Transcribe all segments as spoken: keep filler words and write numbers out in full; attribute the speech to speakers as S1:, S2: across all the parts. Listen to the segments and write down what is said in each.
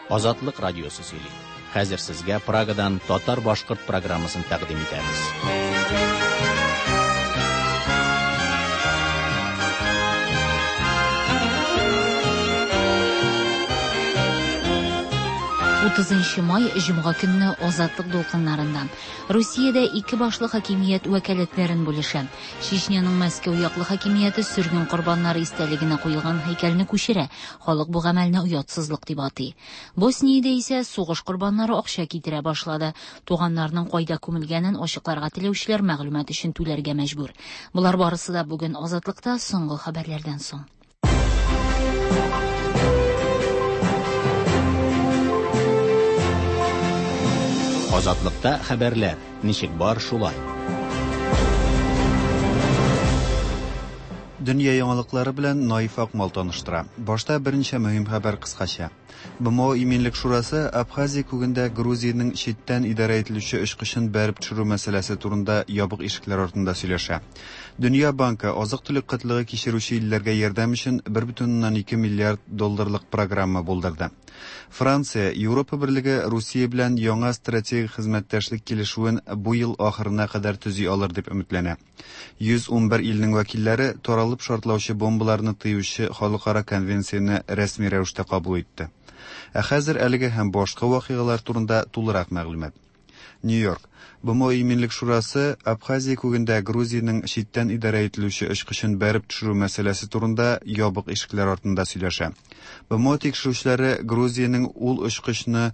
S1: Азатлык радиосы сөйли. Хәзер сезгә Прагадан татар-башкорт программасын тәкъдим итәбез.
S2: утызынчы май җомга көнне Азатлык дулкыннарында. Русиядә ике башлы хакимият вәкаләтләрен бүлешә. Чечняның Мәскәү яклы хакимияте сөрген корбаннары истәлегенә куелган һәйкәлне күчерә. Халык бу гамәлне оятсызлык дип атый. Босниядә исә сугыш корбаннары акча китерә башлады. Туганнарының кайда күмелгәнен ачыкларга теләүчеләр мәгълүмат өчен түләргә мәҗбүр. Болар барысы да бүген Азатлыкта соңгы хәбәрләрдән соң.
S1: Азатлыкта хәбәрләр ничек бар шулай.
S3: Дөнья яңалыклары белән Наиф Акмал таныштыра. Башта берничә мөһим хәбәр кыскача. Б М О Иминлек шурасы Абхазия күгендә Грузиянең читтән идарә ителүче очкычын бәреп төшерү мәсьәләсе турында ябык ишекләр артында сөйләшә. Дөнья банкы азык-төлек кытлыгы кичерүче илләргә ярдәм өчен бер бөтен уннан ике миллиард долларлык программа булдырды. Франция, Европа берлеге Русия белән яңа стратегик хезмәттәшлек килешүен бу ел ахырына кадәр төзи алыр дип өметләнә. йөз ун бер илнең вәкилләре таралып шартлаучы бомбаларны тыючы халыкара конвенцияне рәсми рәвештә кабул итте. Ә хәзер әлеге һәм башка вакыйгалар турында тулырак мәгълүмат. Нью-Йорк. Б М О Иминлек шурасы Абхазия күгендә Грузиянең читтән идарә ителүче очкычын бәреп төшерү мәсьәләсе турында ябык ишекләр артында сөйләшә. Б М О тикшерүчеләре Грузиянең ул очкычны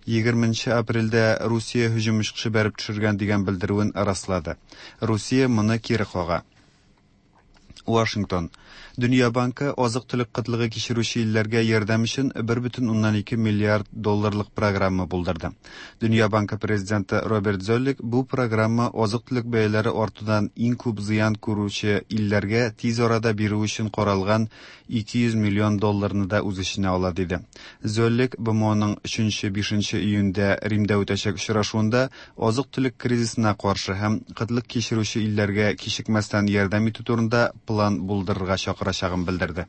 S3: егерменче апрельдә Русия һөҗүм очкычы бәреп төшергән дигән белдерүен раслады. Русия моны кире кага. Вашингтон. Дөнья банкы азык-төлек кытлыгы кичерүче илләргә ярдәм өчен бер бөтен уннан ике миллиард долларлык программа булдырды. Дөнья банкы президенты Роберт Золлик бу программа азык-төлек бәяләре артудан иң күп зыян күрүче илләргә тиз арада бирү өчен каралган ике йөз миллион долларны да үз эченә ала диде. Золлик Б М Оның өченче, бишенче июньдә Римдә үтәчәк очрашуында азык-төлек кризисына каршы һәм кытлык кичерүче илләргә кичекмәстән ярдәм итү турында план булдырырга чакырачагын белдерде.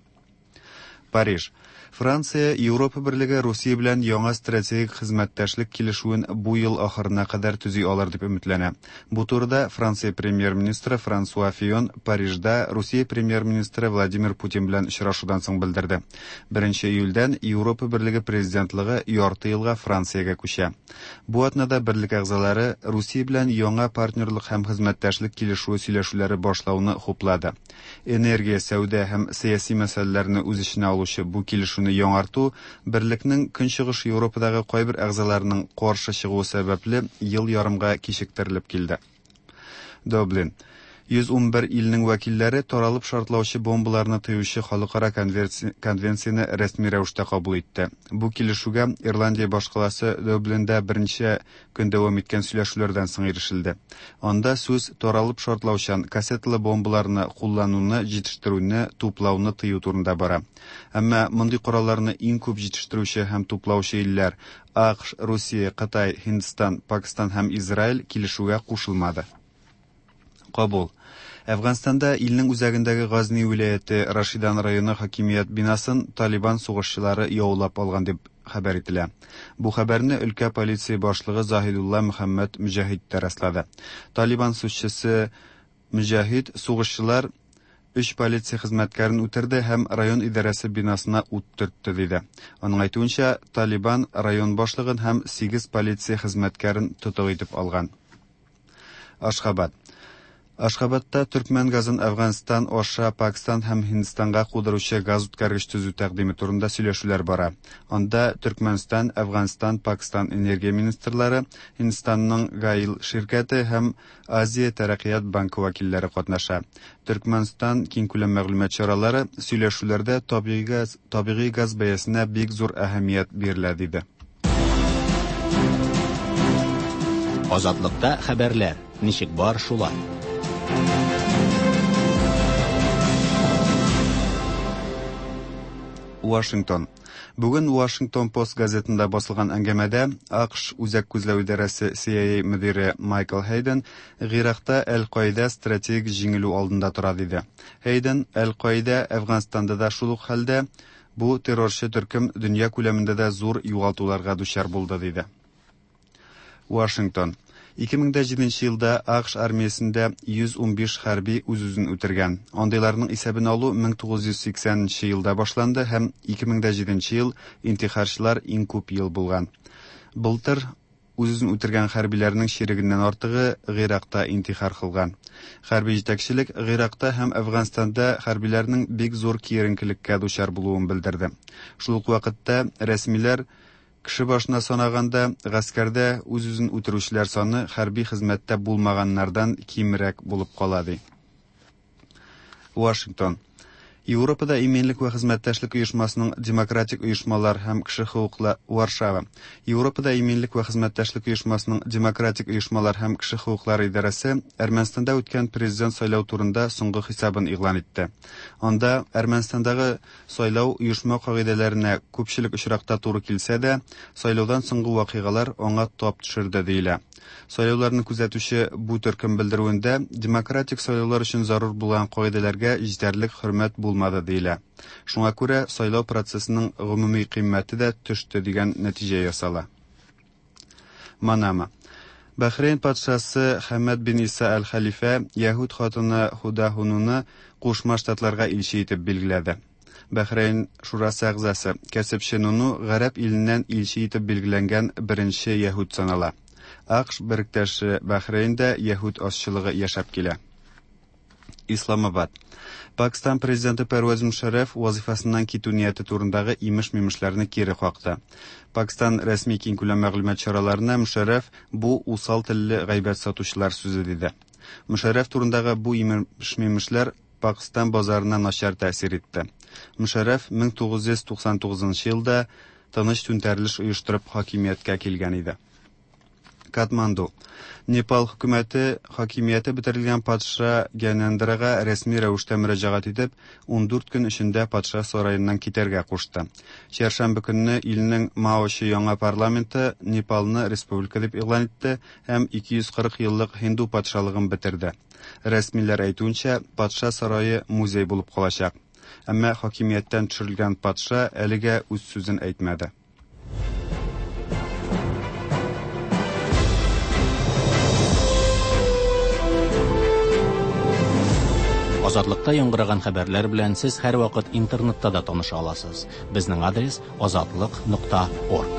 S3: Париж. Франция, Европа берлеге Русия белән яңа стратегик хезмәттәшлек килешүен бу ел ахырына кадәр төзи алыр дип өметләнә. Бу турыда Франция премьер-министры Франсуа Фион Парижда Русия премьер-министры Владимир Путин белән очрашудан соң белдерде. Беренче июльдән Европа берлеге президентлыгы ярты елга Франциягә күчә. Бу атнада берлек әгъзалары Русия белән яңа партнерлык һәм хезмәттәшлек килешүе сөйләшүләре башлауны хуплады. Энергия, сәүдә һәм сәяси мәсьәләләрне үз эченә алучы бу килешүне яңарту берлекнең Көнчыгыш Европадагы кайбер әгъзаларының каршы чыгуы сәбәпле ел ярымга кичектерелеп килде. Дублин. Йөз ун бер илнең вәкилләре таралып шартлаучы бомбаларны тыючы халыкара конверси-, конвенцияне рәсми рәвештә кабул итте. Бу килешүгә Ирландия башкаласы Дублинда берничә көн дәвам иткән сөйләшүләрдән соң ирешелде. Анда сүз таралып шартлаучан кассеталы бомбаларны куллануны, җитештерүне, туплауны тыю турында бара. Әмма мондый коралларны иң күп җитештерүче һәм туплаучы илләр А К Ш, Русия, Кытай, Һиндстан, Пакистан һәм Израиль килешүгә кушылмады. Кабул. Әфганстанда илнең үзәгендәге Газни вилаяте Рашидан районы хакимият бинасын Талибан сугышчылары яулап алган дип хәбәр ителә. Бу хәбәрне өлкә полиция башлыгы Заһидулла Мөхәммәд Мөҗәһид тә раслады. Талибан сүзчесе Мөҗәһид сугышчылар өч полиция хезмәткәрен үтерде һәм район идарәсе бинасына ут төртте диде. Аның әйтүенчә, Талибан район башлыгын һәм сигез полиция хезмәткәрен тотык итеп алган. Ашхабад. Ашхабадта төркмән газын Әфганстан аша Пакистан һәм Һиндстанга кудыручы газ үткәргеч төзү тәкъдиме турында сөйләшүләр бара. Анда Төркмәнстан, Әфганстан, Пакистан энергия министрлары, Һиндстанның Гаил ширкәте һәм Азия тәрәккыят банкы вәкилләре катнаша. Төркмәнстан киңкүләм мәгълүмат чаралары сөйләшүләрдә табигый газ, табигый газ бәясенә бик зур әһәмият бирелә диде.
S1: Азатлыкта хәбәрләр ничек бар шулай.
S3: Вашингтон. Бүген Вашингтон Пост газетында басылган әңгәмәдә А К Ш Үзәк күзләү идарәсе С I A мөдире Майкл Хейден Гыйракта Әл-Каида стратегик җиңелү алдында тора диде. Хейден Әл-Каида Әфганстанда да шул ук хәлдә, Бу террорчы төркем дөнья күләмендә дә зур югалтуларга дучар булды, диде. Вашингтон. ике мең дә җиденче елда АКШ армиясендә йөз унбиш хәрби үз-үзен үтергән. Андыйларның исәбен алу мең тугыз йөз сиксәненче елда башланды һәм ике мең дә җиденче ел интихарчылар иң күп ел булган. Былтыр үз-үзен үтергән хәрбиләрнең чирегеннән артыгы Гыйракта интихар кылган. Хәрби җитәкчелек Гыйракта һәм Әфганстанда хәрбиләрнең бик зур киеренкелеккә дучар булуын белдерде. Шул ук вакытта рәсмиләр кеше башына санаганда гаскәрдә үз-үзен үтерүчеләр саны хәрби хезмәттә булмаганнардан кимрәк булып кала, ди. Вашингтон. Европада иминлек вә хезмәттәшлек оешмасының демократик оешмалар һәм кеше хокуклары Варшава. Европада иминлек вә хезмәттәшлек оешмасының демократик оешмалар һәм кеше хокуклары идарәсе Әрмәнстанда үткән президент сайлау турында соңгы хисабын игълан итте. Анда Әрмәнстандагы сайлау оешма кагыйдәләренә күпчелек очракта туры килсә дә, сайлаудан соңгы вакыйгалар аңа тап төшерде диелә. Сайлауларны күзәтүче бу төркем белдерүендә демократик сайлаулар өчен зарур булган кагыйдәләргә җитәрлек хөрмәт булмады диелә. Шуңа күрә сайлау процессының гомуми кыйммәте дә төште дигән нәтиҗә ясала. Манама. Бәхрейн патшасы Хәмәд бин Иса әл-Хәлифә яһүд хатыны Худа Хунуны Кушма Штатларга илче итеп билгеләде. Бәхрейн шурасы әгъзасы кәсепче Нуну гарәп иленнән илче итеп билгеләнгән беренче яһүд санала. АКШ беректәше Бәхрейндә яһүд азчылыгы яшәп килә. Исламабад. Пакистан президенты Первез Мушарраф вазифасыннан китү нияте турындагы имеш-мимешләрне кире какты. Пакистан рәсми киңкүләм мәгълүмат чараларына Мушарраф бу усал телле гайбәт сатучылар сүзе диде. Мушарраф турындагы бу имеш-мимешләр Пакистан базарына начар тәэсир итте. Мушарраф мең тугыз йөз туксан тугызынчы елда тыныч түнтәрелеш оештырып хакимияткә килгән иде. Катманду. Непал хөкүмәте хакимияте бетерелгән патша Гянендрага рәсми рәвештә мөрәҗәгать итеп, ундүрт көн эчендә патша сараеннан китәргә кушты. Чәршәмбе көнне илнең Маочы яңа парламенты Непалны республика дип игълан итте һәм ике йөз кырык еллык һинду патшалыгын бетерде. Рәсмиләр әйтүенчә, патша сарае музей булып калачак. Әмма хакимияттән төшерелгән патша әлегә үз сүзен әйтмәде.
S1: Азатлыкта яңгыраган хәбәрләр белән сез һәрвакыт интернетта да таныша аласыз. Безнең адрес азатлык нокта орг.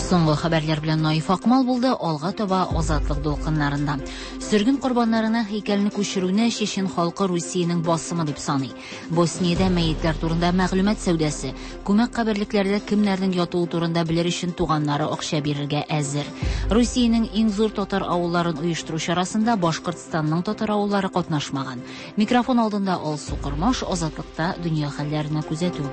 S2: Соңгы хәбәрләр белән Наиф Акмал булды, алга таба Азатлык дулкыннарында. Сөргүн корбаннарына һәйкәлне күчерүне Чечен халкы Русиянең басымы дип саный. Босниядә мәетләр турында мәгълүмат сәүдәсе, күмәк каберлекләрдә кемнәрнең ятуы турында белер өчен туганнары акча бирергә әзер. Русиянең иң зур татар авылларын оештыру чарасында Башкортстанның татар авыллары катнашмаган. Микрофон алдында Алсу Кормаш, Азатлыкта дөнья хәлләренә күзәтү.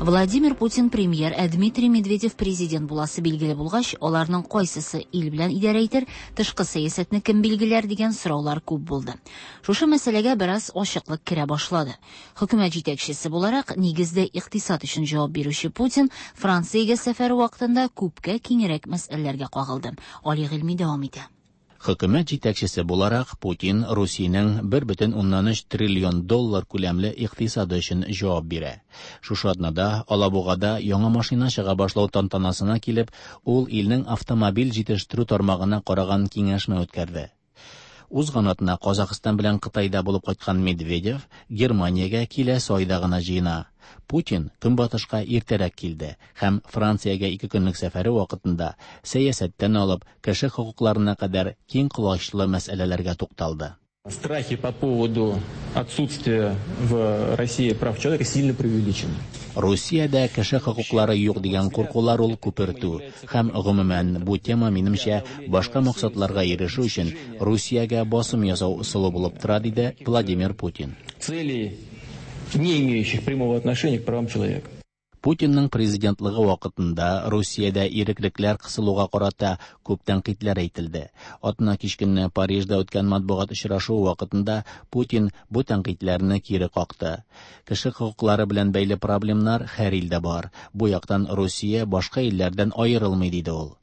S2: Владимир Путин премьер, ә Дмитрий Медведев президент буласы билгеле булгач, аларның кайсысы ил белән идарә итер, тышкы сәясәтне кем билгеләр дигән сораулар күп булды. Шушы мәсьәләгә бераз ачыклык керә башлады. Хөкүмәт җитәкчесе буларак, нигездә икътисад өчен җавап бирүче Путин Франциягә сәфәре вакытында күпкә киңрәк мәсьәләләргә кагылды. Али Гыйльми дәвам итә.
S1: Хөкүмәт җитәкчесе буларак Путин Русиянең бер бөтен уннан өч триллион доллар күләмле икътисады өчен җавап бирә. Шушы атнада Алабугада яңа машина чыга башлау тантанасына килеп, ул илнең автомобиль җитештерү тармагына караган киңәшмә үткәрде. Узган атна Казахстан белән Кытайда булып кайткан Медведев Германиягә киләсе айда гына җыена. Путин көнбатышка иртәрәк килде һәм Франциягә ике көнлек сәфәре вакытында сәясәттән алып кеше хокукларына кадәр киң колачлы мәсьәләләргә тукталды.
S4: Страхи по поводу отсутствия в России прав человека сильно преувеличены.
S1: Русиядә кеше хокуклары юк дигән куркулар ул күпертү һәм гомумән бу тема минемчә башка максатларга ирешү өчен Русиягә басым ясау ысулы булып тора, диде Владимир Путин.
S4: Цели, не имеющих прямого отношения к правам человека.
S1: Путинның президентлыгы вакытында Русиядә иреклекләр кысылуга карата күп тәнкыйтьләр әйтелде. Атна кич көнне Парижда үткән матбугат очрашуы вакытында Путин бу тәнкыйтьләрне кире какты. Кеше хокуклары белән бәйле проблемнар һәр илдә бар. Бу яктан Русия башка илләрдән аерылмый, диде ул.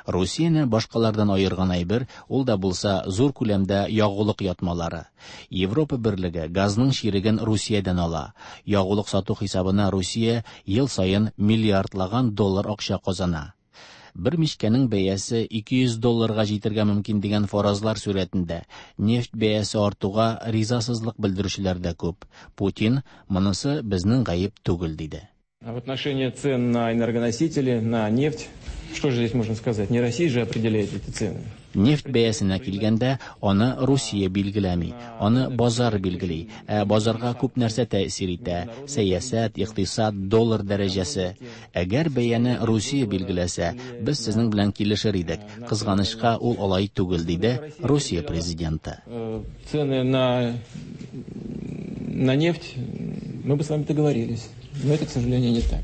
S1: Русияне башкалардан аерган әйбер, ул да булса зур күләмдә ягулык ятмалары. Европа берлеге газның чиреген Русиядән ала. Ягулык сату хисабына Русия ел саен миллиардлаган доллар акча казана. Бер мичкәнең бәясе ике йөз долларга җитәргә мөмкин дигән фаразлар сурәтендә нефть бәясе артуга ризасызлык белдерүчеләр дә күп. Путин монысы безнең гаеп түгел диде.
S4: В отношении цен на энергоносители, на нефть, что же здесь можно сказать? Не Россия же определяет эти цены.
S1: Нефть бәясенә килгәндә, аны Русия билгеләми, аны базар билгели. Ә базарга күп нәрсә тәэсир итә: сәясәт, икътисад, доллар дәрәҗәсе. Әгәр бәяне Русия билгеләсә, без сезнең белән килешер идек. Кызганычка, ул алай түгел, диде Русия президенты.
S4: Цены на, на нефть мы бы с вами договорились. Но это, к сожалению, не так.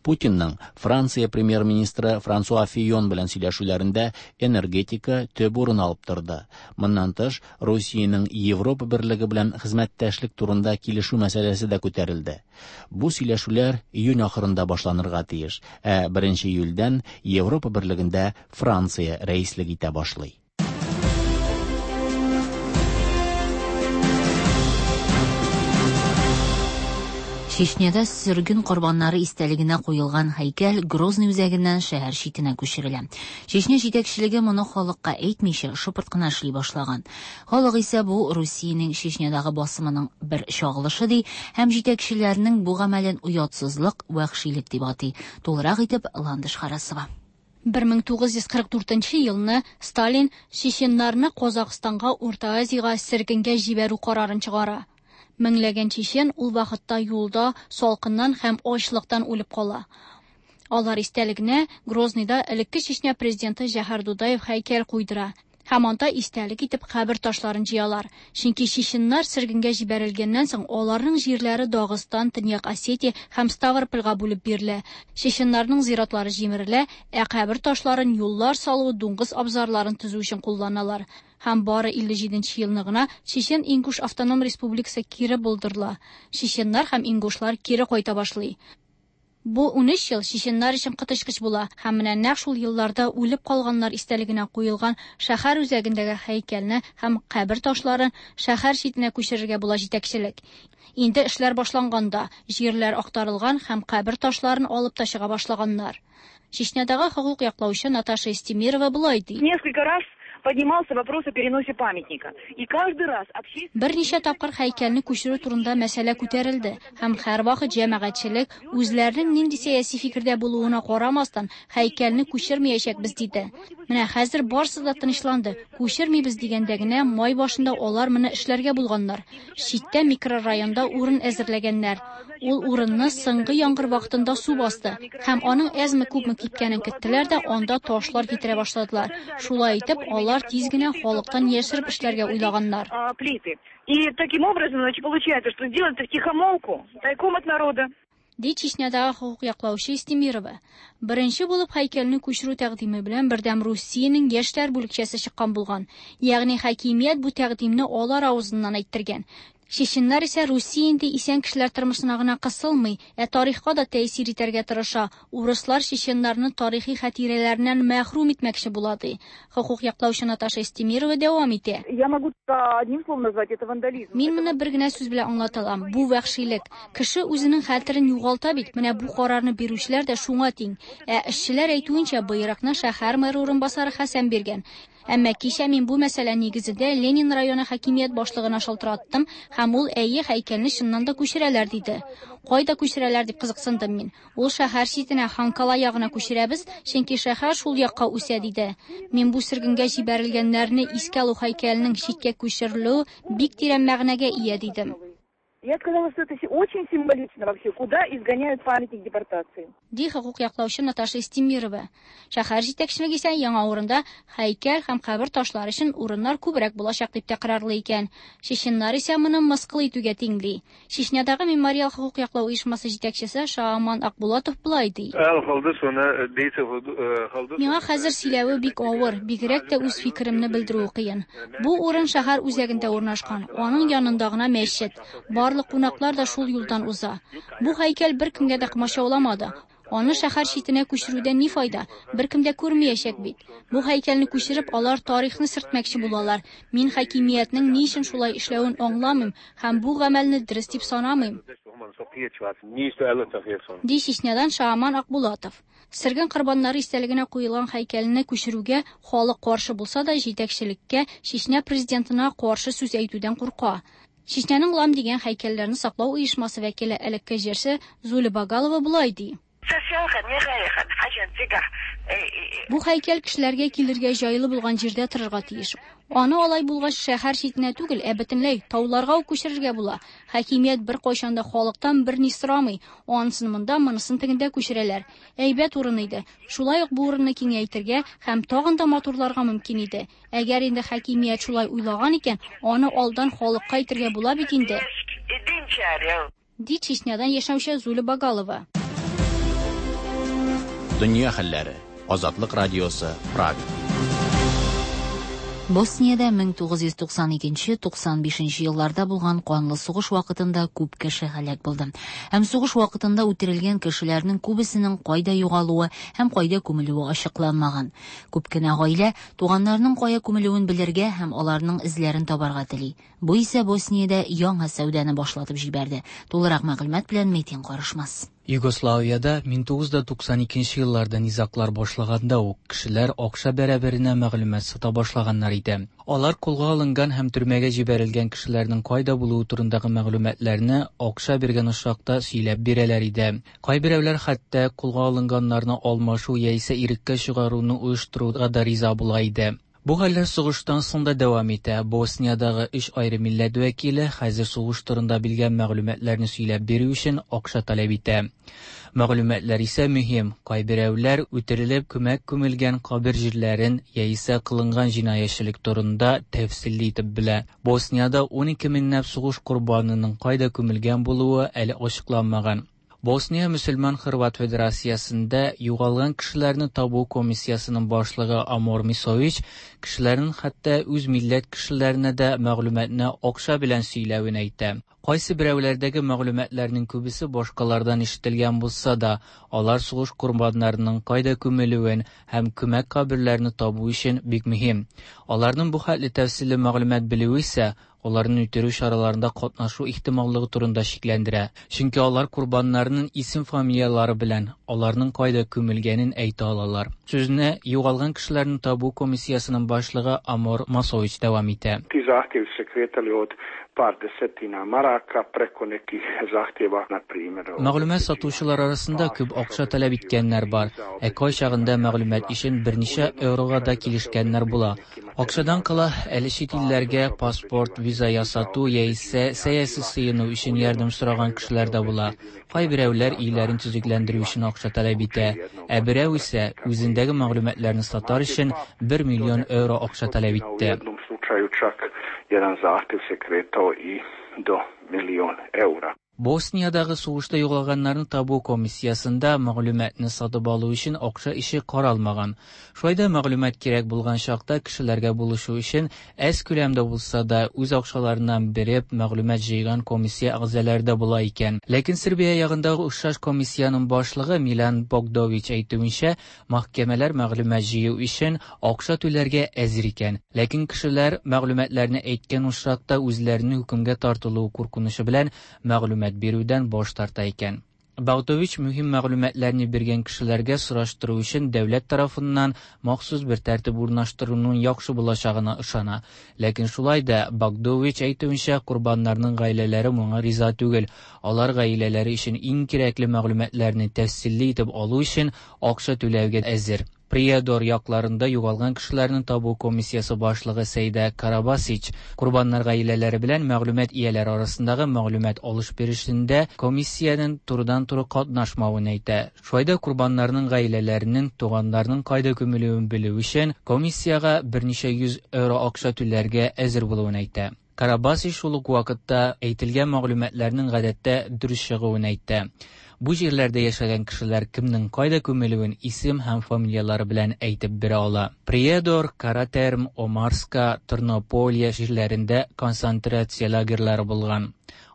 S1: Путинның Франция премьер-министры Франсуа Фийон белән сөйләшүләрендә энергетика төп урын алып торды. Моннан тыш, Русиянең Европа берлеге белән хезмәттәшлек турында килешү мәсьәләсе дә күтәрелде. Бу сөйләшүләр июнь ахырында башланырга тиеш, ә беренче июльдән Европа берлегендә Франция рәислек итә башлый.
S2: Чечняда сөрген корбаннары истәлегенә куелган һәйкәл Грозный үзәгеннән шәһәр читенә күчерелә. Чечня җитәкчелеге моны халыкка әйтмичә шыпырт кына эшли башлаган. Халык исә бу Русиянең Чечнядагы басымының бер чагылышы ди һәм җитәкчеләрнең бу гамәлен оятсызлык, вәхшилек дип атый. Тулырак итеп Ландыш Харасова.
S5: бер мең тугыз йөз кырык дүртенче елны Сталин чеченнарны Казахстанга, Урта Азиягә сөргенгә җибәрү карарын чыгара. Меңләгән чечен ул вакытта юлда салкыннан һәм ачлыктан үлеп кала. Алар истәлегенә Грозныйда элекке Чечня президенты Җәһәр Дудаев һәйкәл куйдыра. Һәм анда истәлек итеп кабер ташларын җыялар. Чөнки чеченнар сөргенгә җибәрелгәннән соң аларның җирләре Дагыстан, Төньяк Осетия һәм Ставропольгә бүлеп бирелә. Чеченнарның зиратлары җимерелә, ә кабер ташларын юллар салу, дуңгыз абзарларын төзү өчен кулланалар. Һәм бары илле җиденче елны гына Чечен-Ингуш автоном республикасы кире булдырыла. Чеченнар һәм ингушлар кире кайта башлый. Бу унөч ел чеченнар өчен коточкыч була һәм менә нәкъ шул елларда үлеп калганнар истәлегенә куелган шәһәр үзәгендәге һәйкәлне һәм кабер ташларын шәһәр читенә күчерергә була җитәкчелек. Инде эшләр башланганда җирләр актарылган һәм кабер ташларын алып та чыга башлаганнар. Чечнядагы хокук яклаучы Наташа Истемирова болай ди.
S6: Несколько раз поднимался вопрос о переносе памятника. И каждый раз общественность...
S5: Берничә тапкыр һәйкәлне күчерү турында мәсьәлә күтәрелде һәм һәрвакыт җәмәгатьчелек үзләренең нинди сәяси фикердә булуына карамастан һәйкәлне күчермәячәкбез диде. Менә хәзер барысы да тынычланды. Күчермибез дигәндә генә май башында алар моны эшләргә булганнар. Читтә микрорайонда урын әзерләгәннәр. Ул урынны соңгы яңгыр вакытында су басты һәм аның әзме-күпме кипкәнен көттеләр дә анда ташлар китерә башладылар. Шулай итеп, алар тиз генә халыктан яшереп эшләргә уйлаганнар.
S6: И таким образом, значит, получается, что сделать это втихомолку, тайком от народа.
S5: Ди Чечнядагы хокук яклаучы Истемирова. Беренче булып һәйкәлне күчерү тәкъдиме белән Бердәм Русиянең яшьләр бүлекчәсе чыккан булган. Ягъни хакимият бу тәкъдимне алар авызыннан әйттергән. Чеченнар исә Русия инде исән кешеләр тормышына гына кысылмый, ә тарихка да тәэсир итәргә тырыша. Урыслар чеченнарны тарихи хатирәләреннән мәхрүм итмәкче була ди. Хокук яклаучы Наташа Истемирова дәвам итә.
S6: Я могу одним словом назвать это вандализм.
S5: Мин моны бер генә сүз белән аңлата алам. Бу вәхшилек. Кеше үзенең хәтерен югалта бит. Менә бу карарны бирүчеләр дә шуңа тиң. Ә эшчеләр әйтүенчә, боерыкны шәһәр мэры урынбасары Хәсән биргән. Әмма кичә мин бу мәсьәлә нигезендә Ленин районы хакимият башлыгына шалтыраттым һәм ул әйе һәйкәлне чыннан да күчерәләр диде. Кайда күчерәләр дип кызыксындым мин. Ул шәһәр читенә Ханкала ягына күчерәбез, чөнки шәһәр шул якка үсә диде. Мин бу сөргенгә җибәрелгәннәрне искә алу һәйкәленең читкә күчерелүе бик тирән мәгънәгә ия дидем.
S6: Я сказала, что это очень символично вообще, куда изгоняют памятник депортации.
S5: Ди хокук яклаучы Наташа Истемирова. Шәһәр җитәкчелеге исә яңа урында һәйкәл һәм кабер ташлары өчен урыннар күбрәк булачак дип тәкрарлый икән. Чеченнар исә моны мыскыл итүгә тиңли. Чечнядагы мемориал хокук яклау оешмасы җитәкчесе Шааман Акбулатов болай ди. Миңа хәзер сөйләве бик авыр, бигрәк тә үз фикеремне белдерүе кыен. Бу урын шәһәр үзәгендә урнашкан, аның янында гына мәчет. Барлык кунаклар да шул юлдан уза. Бу һәйкәл беркемгә дә комачауламады. Аны шәһәр читенә күчерүдән ни файда? Беркем дә күрмәячәк бит. Бу һәйкәлне күчереп, алар тарихны сөртмәкче булалар. Мин хакимиятнең ни өчен шулай эшләвен аңламыйм һәм бу гамәлне дөрес дип санамыйм. Ди Чечнядан Шааман Акбулатов. Сөрген корбаннары истәлегенә куелган һәйкәлне күчерүгә халык каршы булса да, җитәкчелеккә Чечня президентына каршы сүз әйтүдән курка. Чечняның Лам дигән һәйкәлләрне саклау оешмасы вәкиле элекке җырчы Зуля Багалова болай ди. Бу һәйкәл кешеләргә килергә җайлы булган җирдә торырга тиеш. Аны алай булгач шәһәр читенә түгел, ә бөтенләй тауларга ук күчерергә була. Хакимият бер кайчан да халыктан берни сорамый. Анысын монда, монысын тегендә күчерәләр. Әйбәт урын иде. Шулай ук бу урынны киңәйтергә һәм тагын да матурларга мөмкин иде. Әгәр инде хакимият шулай уйлаган икән, аны алдан халыкка әйтергә була бит инде. Ди Чечнядан яшәүче Зуля Багалова.
S1: Дөнья хәлләре. Азатлык радиосы, Прага.
S2: Босниядә мең тугыз йөз туксан икенче, туксан бишенче елларда булган канлы сугыш вакытында күп кеше һәлак булды. Һәм сугыш вакытында үтерелгән кешеләрнең күбесенең кайда югалуы һәм кайда күмелүе ачыкланмаган. Күп кенә гаилә туганнарының кая күмелүен белергә һәм аларның эзләрен табарга тели. Бу исә Босниядә яңа сәүдәне башлатып җибәрде. Тулырак мәгълүмат белән Метин Карышмас.
S7: Югославиядә мең тугыз йөз туксан икенче елларда низаглар башлаганда ук кешеләр акча бәрабәренә мәгълүмат сата башлаганнар иде. Алар кулга алынган һәм төрмәгә җибәрелгән кешеләрнең кайда булуы турындагы мәгълүматларны акча биргән очракта сөйләп бирәләр иде. Кайберәүләр хәтта кулга алынганнарны алмашу яисә иреккә чыгаруны оештыруга да риза була иде. Бу хәлләр сугыштан соң да дәвам итә. Босниядагы өч айры милләт вәкиле хәзер сугыш турында белгән мәгълүматларны сөйләп бирү өчен акча таләп итә. Мәгълүматлар исә мөһим. Кайберәүләр үтерелеп күмәк күмелгән кабер җирләрен яисә кылынган җинаятьчелек турында тәфсилле итеп белә. Босниядә ун ике меңләп сугыш корбанының кайда күмелгән булуы әле ачыкланмаган. Босния Мөселман Хорват Федерациясендә югалган кешеләрне табу комиссиясенең башлыгы Амор Мисович кешеләрнең хәтта үз милләт кешеләренә дә мәгълүматны акча белән сөйләвен әйтә. Кайсы берәүләрдәге мәгълүматларның күбесе башкалардан ишетелгән булса да, алар сугыш корбаннарының кайда күмелүен һәм күмәк каберләрне табу өчен бик мөһим. Аларның бу хәтле тәфсилле мәгълүмат белүе исә аларны үтерү чараларында катнашу ихтималлыгы турында шикләндерә. Чөнки алар корбаннарның исем-фамилияләре белән аларның кайда күмелгәнен әйтә алалар. Сүзне югалган кешеләрне табу комиссиясенең башлыгы Амор Масович дәвам итә.
S8: Ti zahtjevi su se kretali od par desetina maraka preko nekih zahtjeva, na primjer,
S7: Мәгълүмат сатучылар арасында күп акча таләп иткәннәр бар. Ә кайчагында мәгълүмат өчен берничә еврога да килешкәннәр була. Акчадан кала әле чит илләргә паспорт, виза ясату яисә сәяси сыену өчен ярдәм сораган кешеләр дә була. Кайберәүләр өйләрен төзекләндерү өчен акча таләп итә. Ә берәү исә үзендәге мәгълүматларны сатар өчен бер миллион евро акча таләп итте.
S8: U jednom slučaju čak jedan zahtjev se kretao i do milion eura.
S7: Босниядагы сугышта югалганнарны табу комиссиясендә мәгълүматны сатып алу өчен акча ише каралмаган. Шулай да мәгълүмат кирәк булган чакта кешеләргә булышу өчен әз күләмдә булса да үз акчаларыннан биреп мәгълүмат җыйган комиссия әгъзалары да була икән. Ләкин Сербия ягындагы охшаш комиссиянең башлыгы Милан Богдович әйтүенчә, мәхкәмәләр мәгълүмат җыю өчен акча түләргә әзер икән. Ләкин кешеләр мәгълүматларны әйткән очракта үзләренең хөкемгә тартылуы куркынычы белән мәгълүмат бирүдән баш тарта икән. Богдович мөһим мәгълүматларны биргән кешеләргә сораштыру өчен дәүләт тарафыннан махсус бер тәртип урнаштыруның яхшы булачагына ышана. Ләкин шулай да Богдович әйтүенчә, корбаннарның гаиләләре моңа риза түгел. Алар гаиләләре өчен иң кирәкле мәгълүматларны тәфсилле итеп алу өчен акча түләүгә әзер. Приедор якларында югалган кешеләрне табу комиссиясе башлыгы Сәйдә Карабасич корбаннар гаиләләре белән мәгълүмат ияләре арасындагы мәгълүмат алыш-бирешендә комиссиянең турыдан-туры катнашмавын әйтә. Шулай да корбаннарның гаиләләренең туганнарының кайда күмелүен белү өчен комиссиягә берничә йөз евро акча түләргә әзер булуын әйтә. Карабасич шул ук вакытта әйтелгән мәгълүматларның гадәттә дөрес чыгуын әйтә. Бу җирләрдә яшәгән кешеләр кемнең кайда күмелүен исем һәм фамилияләре белән әйтеп бирә ала. Приедор, Каратерм, Омарска, Тернополия җирләрендә концентрация лагерьлары булган.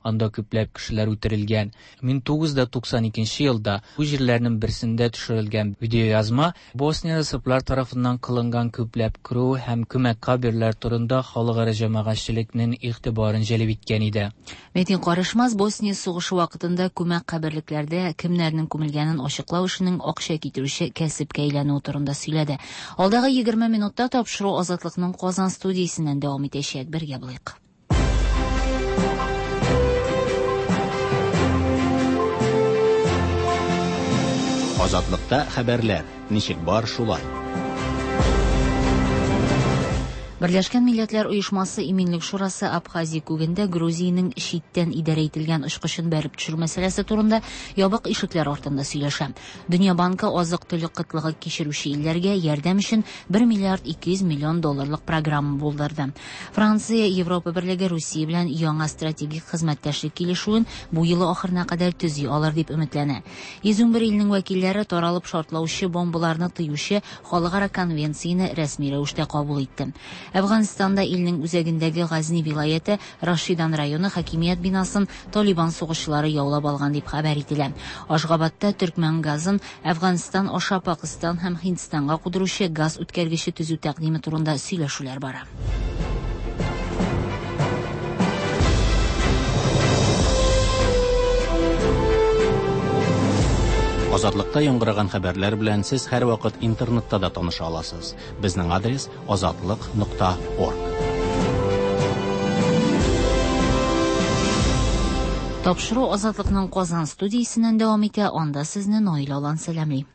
S7: Анда күпләп кешеләр үтерелгән. мең тугыз йөз туксан икенче елда бу җирләрнең берсендә төшерелгән видеоязма Босниядә сырблар тарафыннан кылынган күпләп кыру һәм күмәк каберләр турында халыкара җәмәгатьчелекнең игътибарын җәлеп иткән иде.
S2: Метин Карышмас Босния сугышы вакытында күмәк каберлекләрдә кемнәрнең күмелгәнен ачыклау эшенең акча китерүче кәсепкә әйләнүе турында сөйләде. Алдагы егерме минутта тапшыру Азатлыкның Казан студиясеннән дәвам итәчәк. Бергә булыйк.
S1: Азатлыкта хәбәрләр ничек бар шулай.
S2: Берләшкән Милләтләр Оешмасы Иминлек Шурасы Абхазия күгендә Грузиянең читтән идарә ителгән очкычын бәреп төшерү мәсьәләсе турында ябык ишекләр артында сөйләшә. Дөнья банкы азык-төлек кытлыгы кичерүче илләргә ярдәм өчен бер миллиард ике йөз миллион долларлык программа булдырды. Франция, Европа Берлеге Русия белән яңа стратегик хезмәттәшлек килешүен бу елы ахырына кадәр төзи алыр дип өметләнә. Йөз унбер илнең вәкилләре таралып шартлаучы бомбаларны тыючы халыкара конвенцияне рәсми рәвештә кабул итте. Әфганстанда илнең үзәгендәге Газни вилаяте Рашидан районы хакимият бинасын Талибан сугышчылары яулап алган дип хәбәр ителә. Ашгабадта төркмән газын Әфганстан аша Пакистан һәм Һиндстанга кудыручы газ үткәргече төзү тәкъдиме турында сөйләшүләр бара.
S1: Азатлыкта яңгыраган хәбәрләр белән сез һәрвакыт интернетта да таныша аласыз. Безнең адрес азатлык нокта орг.
S2: Тапшыру Азатлыкның Казан студиясеннән дәвам итә. Анда сезне Наилә Алан сәламли.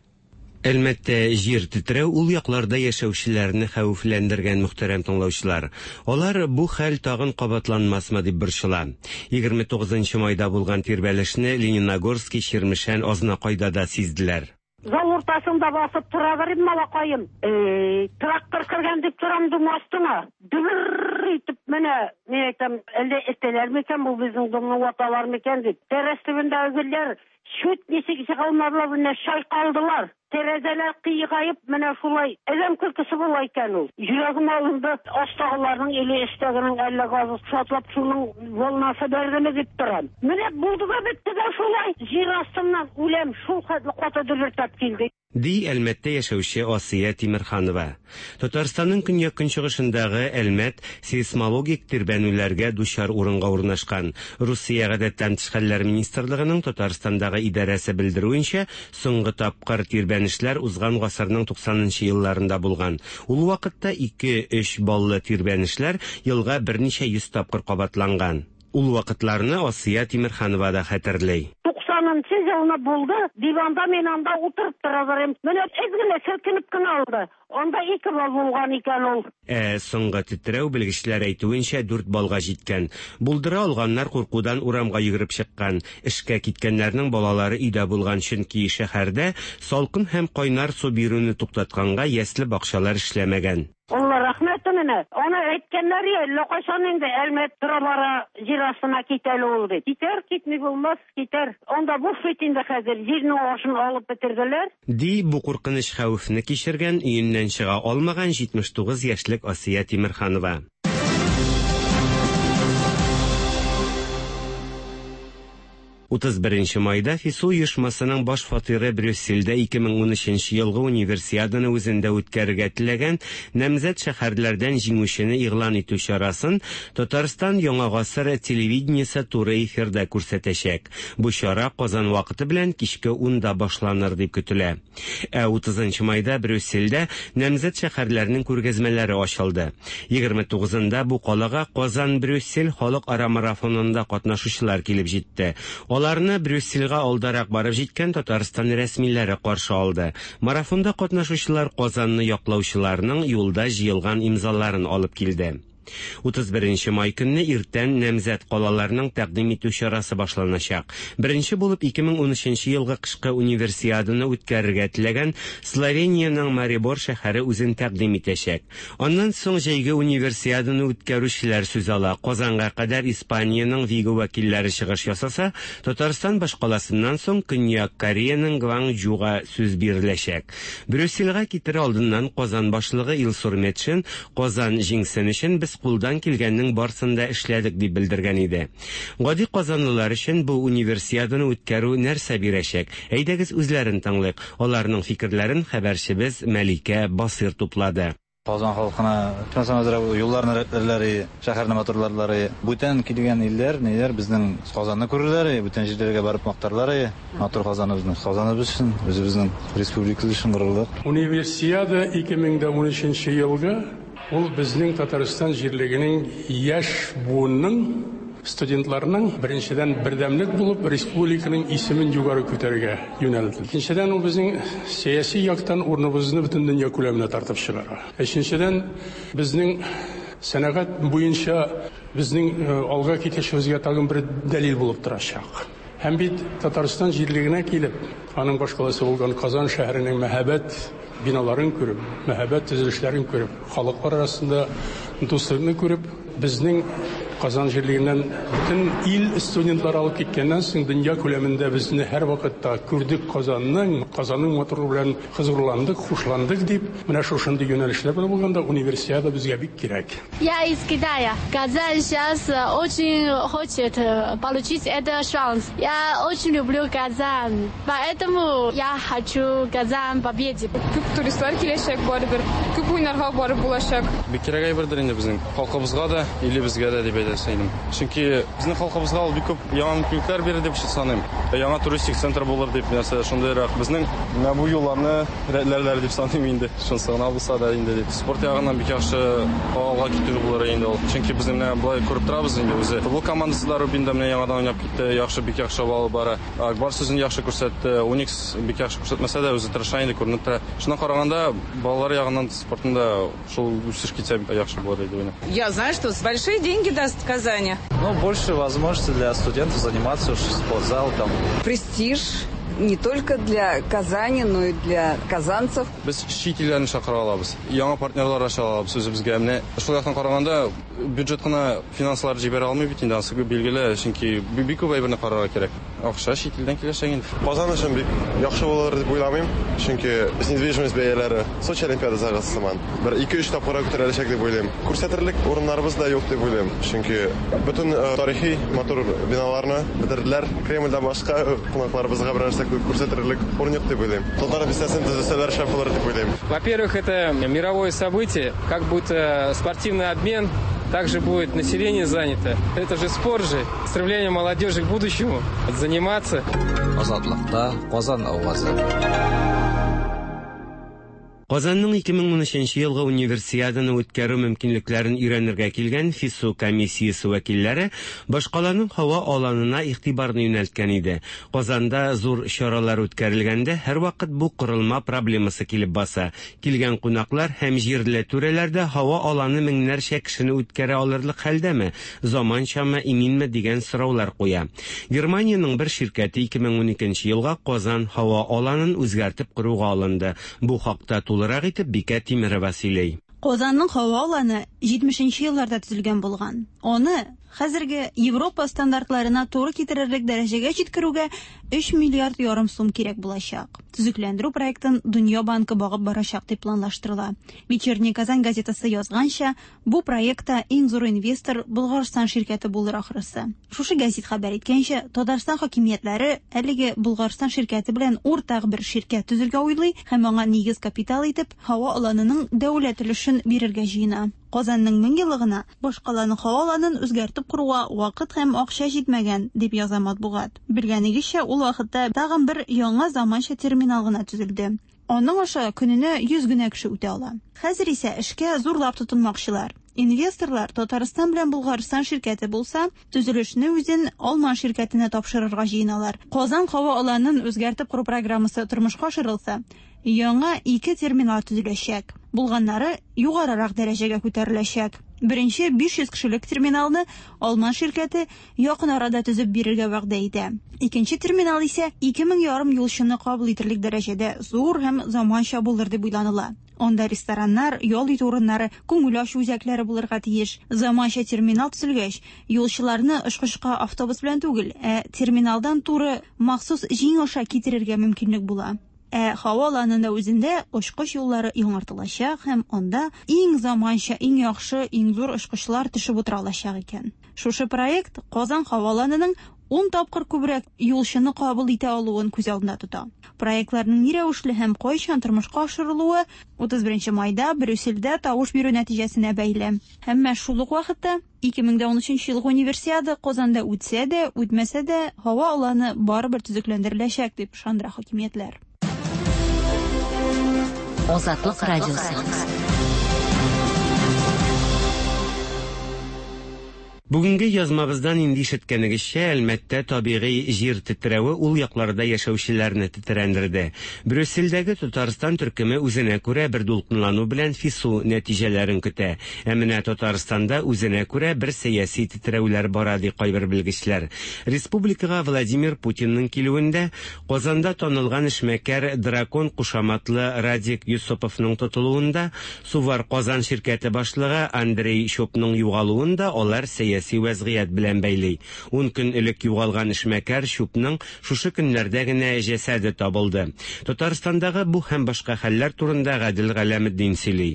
S9: Әлмәттә җир тетрәү ул якларда яшәүчеләрне хәвефләндергән, мөхтәрәм тыңлаучылар. Алар бу хәл тагын кабатланмасмы дип борчыла. Егерме тугызынчы майда булган тирбәлешне Лениногорский, Чирмешән, Азнакайда да сизделәр.
S10: Зал уртасында басып тора берим малакаем. Э, трактор кергән дип торам дум астына. Дөбер итеп менә, ни әйтәм, әллә этәләр микән бу безнең домны ваталар микән дип. Тәрәз төбендәге гөлләр чүт ничек чыга алмадылар, менә чайкалдылар. Тәрәзәләр кыйгаеп, менә шулай адәм көлкесе була икән ул. Йөрәгем алынды, астагыларның или өстәгенең әллә газы шартлап шуның волнасы бәрдеме дип торам. Менә булды да бетте дә шулай. Җир астыннан үләм, шул хәтле каты дөбертләп килде.
S9: Ди Әлмәттә яшәүче Асия Тимерханова. Татарстанның көньяк-көнчыгышындагы Әлмәт сейсмологик тирбәнүләргә дучар урынга урнашкан. Русия гадәттән тыш хәлләр министрлыгының Татарстандагы идарәсе белдерүенчә, соңгы тапкыр тирбәнешләр узган гасырның туксанынчы елларында булган. Ул вакытта ике-өч баллы тирбәнешләр елга берничә йөз тапкыр кабатланган. Ул вакытларны Асия Тимерханова да хәтерли.
S10: Туксанынчы елны булды, диванда мин анда утырып тора берем. Менә әз генә селкенеп кенә алды. Анда ике бал булган икән ул.
S9: Ә соңгы тетрәү белгечләр әйтүенчә дүрт балга җиткән. Булдыра алганнар куркудан урамга йөгереп чыккан. Эшкә киткәннәрнең балалары өйдә булган, чөнки шәһәрдә салкын һәм кайнар су бирүне туктатканга ясле бакчалар эшләмәгән.
S10: Алла рәхмәт менә. Аны әйткәннәр я, әллә кайчан инде Әлмәт тора-бара җир астына китәле ул дип. Китәр, китми булмас, китәр. Анда буш бит инде хәзер, җирнең ашын алып бетерделәр.
S9: Ди бу куркыныч хәвефне кичергән, өеннән чыга алмаган җитмеш тугыз яшьлек Асия Тимерханова. Утыз беренче майда ФИСУ оешмасының баш фатиры Брюссельдә ике мең унөченче елгы универсиаданы үзендә үткәрергә теләгән намзәт шәһәрләрдән җиңүчене игълан итү чарасын Татарстан Яңа гасыр телевидениесе туры эфирда күрсәтәчәк. Бу чара Казан вакыты белән кичке унда башланыр дип көтелә. Ә утызынчы майда Брюссельдә намзәт шәһәрләрнең күргәзмәләре ачылды. Егерме тугызында бу калага Казан-Брюссель халыкара марафонында катнашучылар килеп җитте. Аларны Брюссельгә алдарак барып җиткән Татарстан рәсмиләре каршы алды. Марафонда катнашучылар Казанны яклаучыларның юлда җыелган имзаларын алып килде. Утыз беренче май көнне иртән намзәт калаларның тәкъдим итү чарасы башланачак. Беренче булып ике мең унөченче елгы кышкы универсиаданы үткәрергә теләгән Словениянең Марибор шәһәре үзен тәкъдим итәчәк. Аннан соң җәйге универсиаданы үткәрүчеләр сүз ала. Казанга кадәр Испаниянең Виго вәкилләре чыгыш ясаса, Татарстан башкаласыннан соң Көньяк Кореяның Гванчжуга сүз биреләчәк. Брюссельгә китер алдыннан Казан башлыгы Илсур Метшин Казан җиңсен өчен без кулдан килгәннең барсын да эшләдек, дип белдергән иде. Гади казанлылар өчен бу универсиаданы үткәрү нәрсә бирәчәк? Әйдәгез үзләрен тыңлыйк. Аларның фикерләрен хәбәрчебез Мәликә Басыр туплады.
S11: Казан халкына әзрәк юлларны рәтләрләр, шәһәрне матурларлар, бүтән килгән илләр, ниләр безнең Казанны күрерләр, бүтән җирләргә барып мактарлар, матур Казаныбызны. Казаныбыз өчен, үзебезнең республикабыз өчен горурлык.
S8: Универсиада ике мең дә унөченче елгы ул безнең Татарстан җирлегенең яшь буынның студентларның беренчедән бердәмлек булып республиканың исемен югары күтәрергә юнәлде. Икенчедән, ул безнең сәяси яктан урыныбызны бөтен дөнья күләменә тартып чыгара. Өченчедән, безнең сәнәгать буенча безнең алга китешебезгә тагын бер дәлил булып торачак. Һәм бит Татарстан җирлегенә килеп, аның башкаласы булган Казан шәһәренең мәһабәт биналарын күреп, мәһабәт төзелешләрен күреп, халыклар арасында дуслыкны күреп, безнең Казан җирлегеннән бөтен ил студентлары алып киткәннән соң дөнья күләмендә безне һәр вакытта күрдек Казанның, Казанның матурлыгы белән хозурландык, хушландык дип, менә шушындый юнәлешләр белән булганда универсиада безгә бик кирәк.
S12: Я из Китая. Казань сейчас очень хочет получить этот шанс. Я очень люблю Казань, поэтому я хочу Казань победить.
S13: Күп туристлар киләчәк барыбер, күп уйнарга барып булачак.
S14: Бик кирәк әйбердер инде безнең халкыбызга да, илебезгә дә дип әйтәсем. Чөнки безнең халкыбызга ул бик күп яңа мөмкинлекләр бирер дип саныйм. Яңа туристик центр булыр дип, нәрсә шундыйрак безнең менә бу юлларны рәтләрләр дип саныйм инде. Шунысы гына булса да инде дип. Спорт ягыннан бик яхшы алга китү булыр инде ул. Чөнки без менә болай күреп торабыз инде үзе. Футбол командасы да Рубинда менә яңадан уйнап китте, яхшы, бик яхшы алып бара. Акбар сүзен яхшы күрсәтте, Уникс бик яхшы күрсәтмәсә дә үзе тырыша инде, күренеп тора. Шуннан караганда балалар ягыннан спортында шул үсеш китсә яхшы булыр иде уйнап.
S15: Я знаю, что большие деньги даст в Казани.
S11: Ну, больше возможности для студентов заниматься уж спортзал там.
S16: Престиж не только для Казани, но и для казанцев.
S14: Без чит илләрне чакыра алабыз, яңа партнерлар ача алабыз үзебезгә. Менә шул яктан караганда бюджет кына финанслар җибәрә алмый бит инде, анысы билгеле, чөнки бик күп әйберне карарга кирәк. Акча чит илдән киләчәк инде.
S17: Казан өчен бик яхшы булыр дип уйламыйм, чөнки недвижимость бәяләре Сочи Олимпиадасыгы сыман бер ике-өч тапкырга күтәреләчәк дип уйлыйм. Күрсәтерлек урыннарыбыз да юк дип уйлыйм, чөнки бөтен тарихи матур биналарны бетерделәр. Кремльдән башка кунакларыбызга бер нәрсә күрсәтерлек урын юк дип уйлыйм. Татар бистәсен төзесәләр шәп булыр дип уйлыйм.
S4: Во-первых, это мировое событие, как будет спортивный обмен, также будет население занято. Это же спорт же, стремление молодежи к будущему, заниматься.
S18: Азатлыкта Казан авазы.
S9: Казанның ике мең унөченче елгы универсиаданы үткәрү мөмкинлекләрен өйрәнергә килгән ФИСУ комиссиясе вәкилләре башкаланың һава аланына игътибарны юнәлткән иде. Казанда зур чаралар үткәрелгәндә һәрвакыт бу корылма проблемасы килеп баса. Килгән кунаклар һәм җирле түрәләрдә һава аланы меңнәрчә кешене үткәрә алырлык хәлдәме, заманчамы, иминме дигән сораулар куя. Германиянең бер ширкәте ике мең уникенче елга Казан һава аланын үзгәртеп коруга алынды. Бу хакта тулырак итеп Бикә Тимерова сөйли.
S19: Казанның һава аланы җитмешенче елларда төзелгән булган. Аны хәзерге Европа стандартларына туры китерерлек дәрәҗәгә җиткерүгә өч миллиард ярым сум кирәк булачак. Төзекләндерү проектын Дөнья банкы багып барачак дип планлаштырыла. Вечерний Казань газетасы язганча, бу проектта иң зур инвестор Булгарстан ширкәте булыр ахрысы. Шушы газет хәбәр иткәнчә, Татарстан хакимиятләре әлеге Булгарстан ширкәте белән уртак бер ширкәт төзергә уйлый һәм аңа нигез капитал итеп һава аланының дәүләт өлешен бирергә җыена. Казанның мең еллыгына башкаланың һава аланын үзгәртеп коруга вакыт һәм акча җитмәгән, дип яза матбугат. Белгәнегезчә, ул вакытта тагын бер яңа заманча терминал гына төзелде. Аның аша көненә йөз генә кеше үтә ала. Хәзер исә эшкә зурлап тотынмакчылар. Инвесторлар Татарстан белән Булгарстан ширкәте булса, төзелешне үзен Алман ширкәтенә тапшырырга җыеналар. Казан һава аланын үзгәртеп кору программасы тормышка ашырылса, яңа ике терминал төзеләчәк. Булганнары югарырак дәрәҗәгә күтәреләчәк. Беренче биш йөз кешелек терминалны Алман ширкәте якын арада төзеп бирергә вәгъдә итә. Икенче терминал исә ике мең ярым юлчыны кабул итерлек дәрәҗәдә зур һәм заманча булыр дип уйланыла. Анда рестораннар, ял итү урыннары, күңел ачу үзәкләре булырга тиеш. Заманча терминал төзелгәч, юлчыларны очкычка автобус белән түгел, ә терминалдан туры махсус җиң аша китерергә мөмкинлек була. Ә һава аланында үзендә очкыч юллары яңартылачак һәм анда иң заманча, иң яхшы, иң зур очкычлар төшеп утыра алачак икән. Шушы проект Казан һава аланының ун тапкыр күбрәк юлчыны кабул итә алуын күз алдында тота. Проектларның ни рәвешле һәм кайчан тормышка ашырылуы утыз беренче майда Брюссельдә тавыш бирү нәтиҗәсенә бәйле. Әмма шул ук вакытта ике мең дә унөченче елгы универсиада Казанда үтсә дә, үтмәсә дә, һава аланы барыбер төзекләндереләчәк дип ышандыра хакимиятләр.
S2: Азатлык радиосы.
S9: Бүгенге язмабыздан инде ишеткәнегезчә, Әлмәттә табигый җир тетрәве ул якларда яшәүчеләрне тетрәндерде. Брюссельдәге Татарстан төркеме үзенә күрә бер дулкынлану белән ФИСУ нәтиҗәләрен көтә. Ә менә Татарстанда үзенә күрә бер сәяси тетрәүләр бара, ди кайбер белгечләр. Республикага Владимир Путинның килүендә Казанда танылган эшмәкәр Дракон кушаматлы Радик Юсуповның тотылуында, Сувар Казан ширкәте башлыгы Андрей Чупның югалуында алар сәяси вәзгыять белән бәйли. Ун көн элек югалган эшмәкәр Чупның шушы көннәрдә генә җәсәде табылды. Татарстандагы бу һәм башка хәлләр турында Гадел Галәметдин сөйли.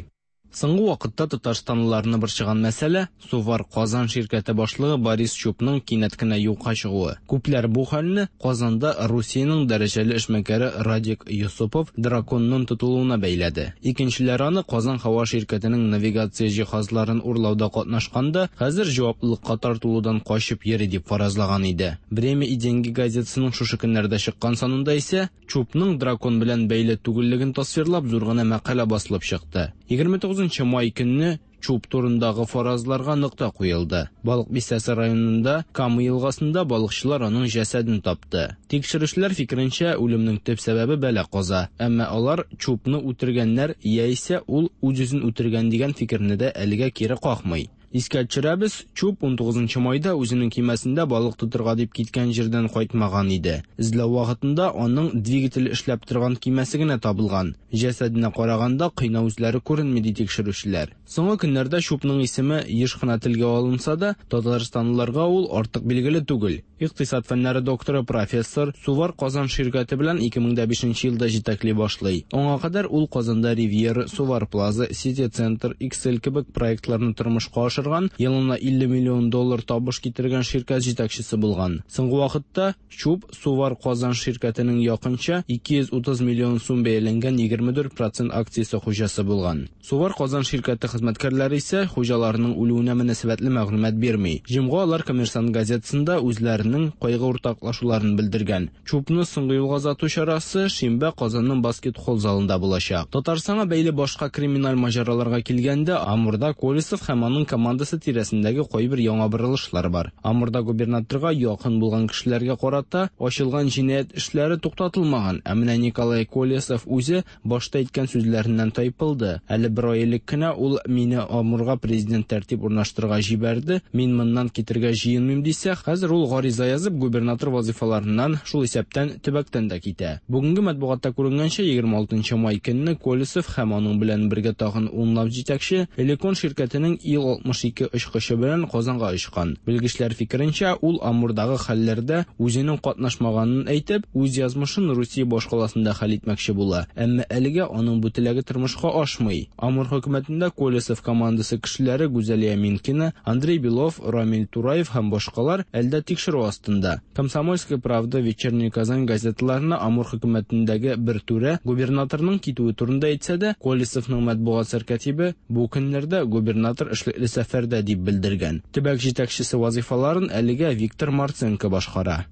S20: Соңгы вакытта татарстанлыларны борчыган мәсьәлә Сувар Казан ширкәте башлыгы Борис Чупның кинәт кенә юкка чыгуы. Күпләр бу хәлне Казанда Русиянең дәрәҗәле эшмәкәре Радик Юсупов Драконның тотылуына бәйләде. Икенчеләр аны Казан һава ширкәтенең навигация җиһазларын урлауда катнашканда хәзер җаваплылыкка тартылудан качып йөри дип фаразлаган иде. Время и деньги газетасының шушы көннәрдә чыккан санында исә Чупның Дракон белән бәйле түгеллеген тасвирлап зур гына мәкалә басылып чыкты. егерме тугызынчы май көнне Чуп турындагы фаразларга нокта куелды. Балык бистәсе районында Кама елгасында балыкчылар аның җәсәден тапты. Тикшерүчеләр фикеренчә, үлемнең төп сәбәбе бәла-каза. Әмма алар Чупны үтергәннәр яисә ул үз-үзен үтергән дигән фикерне дә әлегә кире какмый. Искә төшерәбез, Чуп унтугызынчы майда үзенең кимәсендә балык тотырга дип киткән җирдән кайтмаган иде. Эзләү вакытында аның двигатель эшләп торган кимәсе генә табылган. Җәсәденә караганда кыйнау эзләре күренми, ди тикшерүчеләр. Соңгы көннәрдә Чупның исеме еш кына телгә алынса да, татарстанлыларга ул артык билгеле түгел. Икътисад фәннәре докторы, профессор Сувар Казан ширкәте белән ике мең дә бишенче елда җитәкли башлый. Аңа кадәр ул Казанда Ривьера, Сувар Плаза, Сити Центр, Иксел кебек проектларны тормышка ашырган, елына илле миллион доллар табыш китергән ширкәт җитәкчесе булган. Соңгы вакытта Чуп Сувар Казан ширкәтенең якынча ике йөз утыз миллион сум бәяләнгән егерме дүрт процент акциясе хуҗасы булган. Сувар Казан ширкәте хезмәткәрләре исә хуҗаларының үлүенә мөнәсәбәтле мәгълүмат бирми. Җомга алар Коммерсант газетасында үзләренең кайгы уртаклашуларын белдергән. Чупны соңгы юлга озату чарасы шимбә Казанның баскетбол залында булачак. Татарстанга бәйле башка криминаль маҗараларга килгәндә, Амурда Колесов һәм аның командасы тирәсендәге кайбер яңа борылышлар бар. Амурда губернаторга якын булган кешеләргә карата ачылган җинаять эшләре туктатылмаган. Ә менә Николай Колесов үзе башта әйткән сүзләреннән тайпылды. Әле бер ай элек кенә ул мине Амурга президент тәртип урнаштырырга җибәрде, мин моннан китергә җыенмыйм дисә, хәзер ул гариза язып губернатор вазифаларыннан, шул исәптән төбәктән дә китә. Бүгенге матбугатта күренгәнчә, егерме алтынчы май көнне Колесов һәм аның белән бергә тагын унлап җитәкче Элекон ширкәтенең Ил алтмыш ике очкычы белән Казанга очкан. Белгечләр фикеренчә, ул Амурдагы хәлләрдә үзенең катнашмаганын әйтеп, үз язмышын Русия башкаласында хәл итмәкче була. Әмма әлегә аның бу теләге тормышка ашмый. Амур хөкүмәтендә Колесов командасы кешеләре Гүзәлия Минкина, Андрей Белов, Рамиль Тураев һәм башкалар әлдә тикшерү астында. Комсомольская правда, Вечерняя Казань газеталарына Амур хөкүмәтендәге бер түрә губернаторның китүе турында әйтсә дә, Колесовның матбугат сәркатибе бу көннәрдә губернатор эшлекле сәфәрдә дип белдергән. Төбәк җитәкчесе вазифаларын әлегә Виктор Марценко башкара.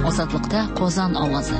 S2: Азатлыкта Казан авазы.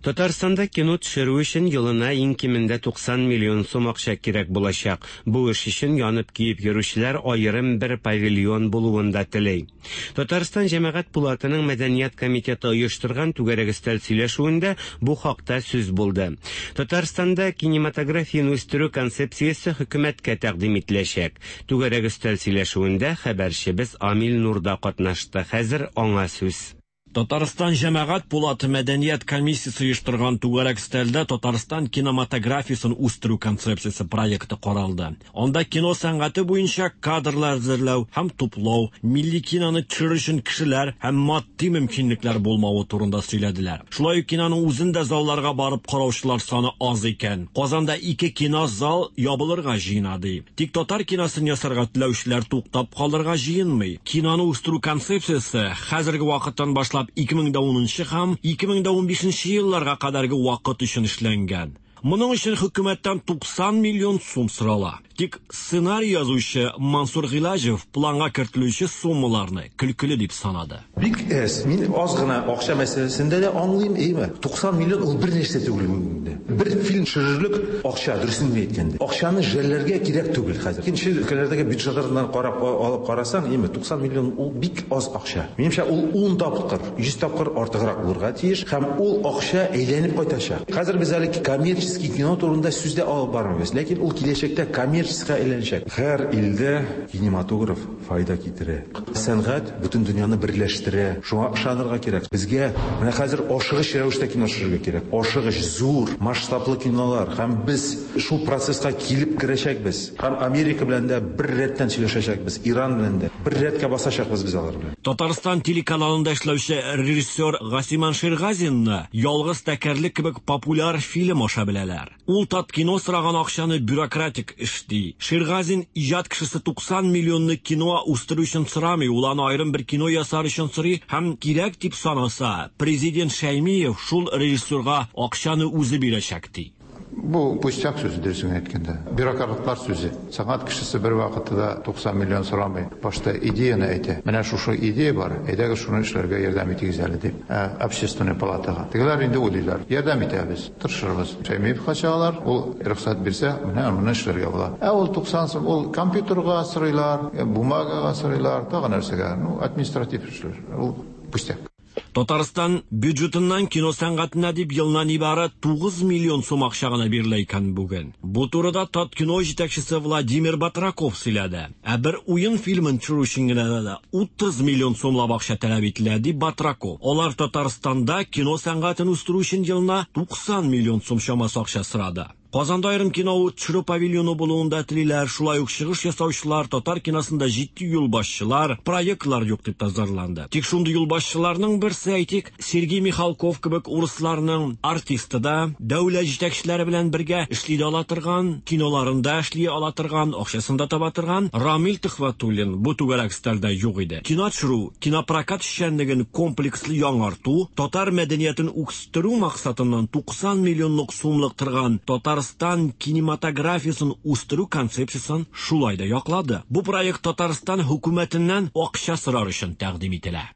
S9: Татарстанда кино төшерү өчен елына иң кимендә туксан миллион сум акча кирәк булачак. Бу эш өчен янып киеп йөрүчеләр аерым бер павильон булуын да тели. Татарстан Җәмәгать пулатының Мәдәният комитеты оештырган түгәрәк өстәл сөйләшүендә бу хакта сүз булды. Татарстанда кинематографияне үстерү концепциясе хөкүмәткә тәкъдим ителәчәк. Түгәрәк өстәл сөйләшүендә хәбәрчебез Амил Нурда катнашты. Хәзер аңа сүз.
S21: Татарстан Җәмәгать пулаты мәдәният комиссиясе оештырган түгәрәк өстәлдә Татарстан кинематографиясен үстерү концепциясе проекты каралды. Анда кино сәнгате буенча кадрлар әзерләү һәм туплау, милли киноны төшерү өчен кешеләр һәм матди мөмкинлекләр булмавы турында сөйләделәр. Шулай ук киноның үзен дә залларга барып караучылар саны аз икән. Казанда ике кинозал ябылырга җыена ди. Тик татар киносын ясарга теләүчеләр туктап калырга җыенмый. Киноны үстерү концепциясе хәзерге вакыттан башлап ике мең дә унынчы һәм ике мең дә унбишенче елларга кадәрге вакыт өчен эшләнгән. Моның өчен хөкүмәттән туксан миллион сум сорала. Тик сценарий язучы Мансур Гыйлаҗев планга кертелүче суммаларны көлкеле дип санады.
S22: Бик әз. Мин аз гына акча мәсьәләсендә дә аңлыйм, әйме? туксан миллион ул бер нәрсә түгел бүгенге. Бер фильм төшерерлек акча, дөресен әйткәндә. Акчаны жәлләргә кирәк түгел хәзер. Икенче өлкәләрдәге бюджетлардан карап алып карасаң, әйме, туксан миллион ул бик аз акча. Минемчә, ул ун тапкыр, йөз тапкыр артыграк булырга тиеш һәм ул акча әйләнеп кайтачак. Хәзер без әле коммерческий кино турында сүз дә алып бармыйбыз, ләкин ул киләчәктә коммерческийга әйләнәчәк. Һәр илдә кинематограф файда китерә. Сәнгать бөтен дөньяны берләштерә. Шуңа ышанырга кирәк. Безгә менә хәзер ашыгыч рәвештә кино төшерергә кирәк. Ашыгыч, зур, масштаблы кинолар һәм без шул процесска килеп керәчәкбез. Һәм Америка белән дә бер рәттән сөйләшәчәкбез, Иран белән дә бер рәткә басачакбыз без алар белән.
S21: Татарстан телеканалында эшләүче режиссер Гасиман Ширгазинны Ялгыз тәкәрлек кебек популяр фильм аша беләләр. Ул Таткино сораган акчаны бюрократик эш ди. Ширгазин иҗат кешесе туксан миллионны кино үстерү өчен сорамый, ул аны аерым бер кино ясар өчен сорый һәм кирәк дип санаса, президент Шәймиев шул режиссерга акчаны үзе бирәчәк ди.
S23: Бу пустяк сүзе, дөресен әйткәндә. Бюрократлар сүзе. Сәнгать кешесе бер вакытта да туксан миллион сорамый. Башта идеяны әйтә. Менә шушы идея бар, әйдәгез шуны эшләргә ярдәм итегез әле дип, общественный палатага. Тегеләр инде уйлыйлар. Ярдәм итәбез, тырышырбыз. Шәймиевка чыгалар, ул рөхсәт бирсә, менә моны эшләргә була. Ә ул туксан сум, ул компьютерга сорыйлар, бумагага сорыйлар, тагы нәрсәгә. Ну, административ эшләр. Ул пустяк.
S21: Татарстан бюджетыннан кино сәнгатенә дип елына нибары тугыз миллион сум акча гына бирелә икән бүген. Бу турыда Таткино җитәкчесе Владимир Батраков сөйләде. Ә бер уен фильмын төшерү өчен генә дә утыз миллион сумлап акча таләп ителә, дип Батраков. Алар Татарстанда кино сәнгатен үстерү өчен елына туксан миллион сум чамасы акча сорады. Казанда аерым кино төшерү павильоны булуын да телиләр, шулай ук чыгыш ясаучылар, татар киносында җитди юлбашчылар, проектлар юк дип тазарланды. Тик шундый юлбашчыларның берсе, әйтик, Сергей Михалков кебек урысларның артисты да, дәүләт җитәкчеләре белән бергә эшли дә ала торган, киноларында эшли ала торган, акчасын да таба торган Рамил Төхвәтуллин бу түгәрәк өстәлдә юк иде. Кино төшерү, кинопрокат эшчәнлеген комплекслы яңарту, татар мәдәниятен үстерү максатыннан туксан миллионлык сумлык торган Татар Татарстан кинематографиясын үстерү концепциясын шулай да яклады. Бу проект Татарстан хөкүмәтеннән акча сорар өчен тәкъдим ителә.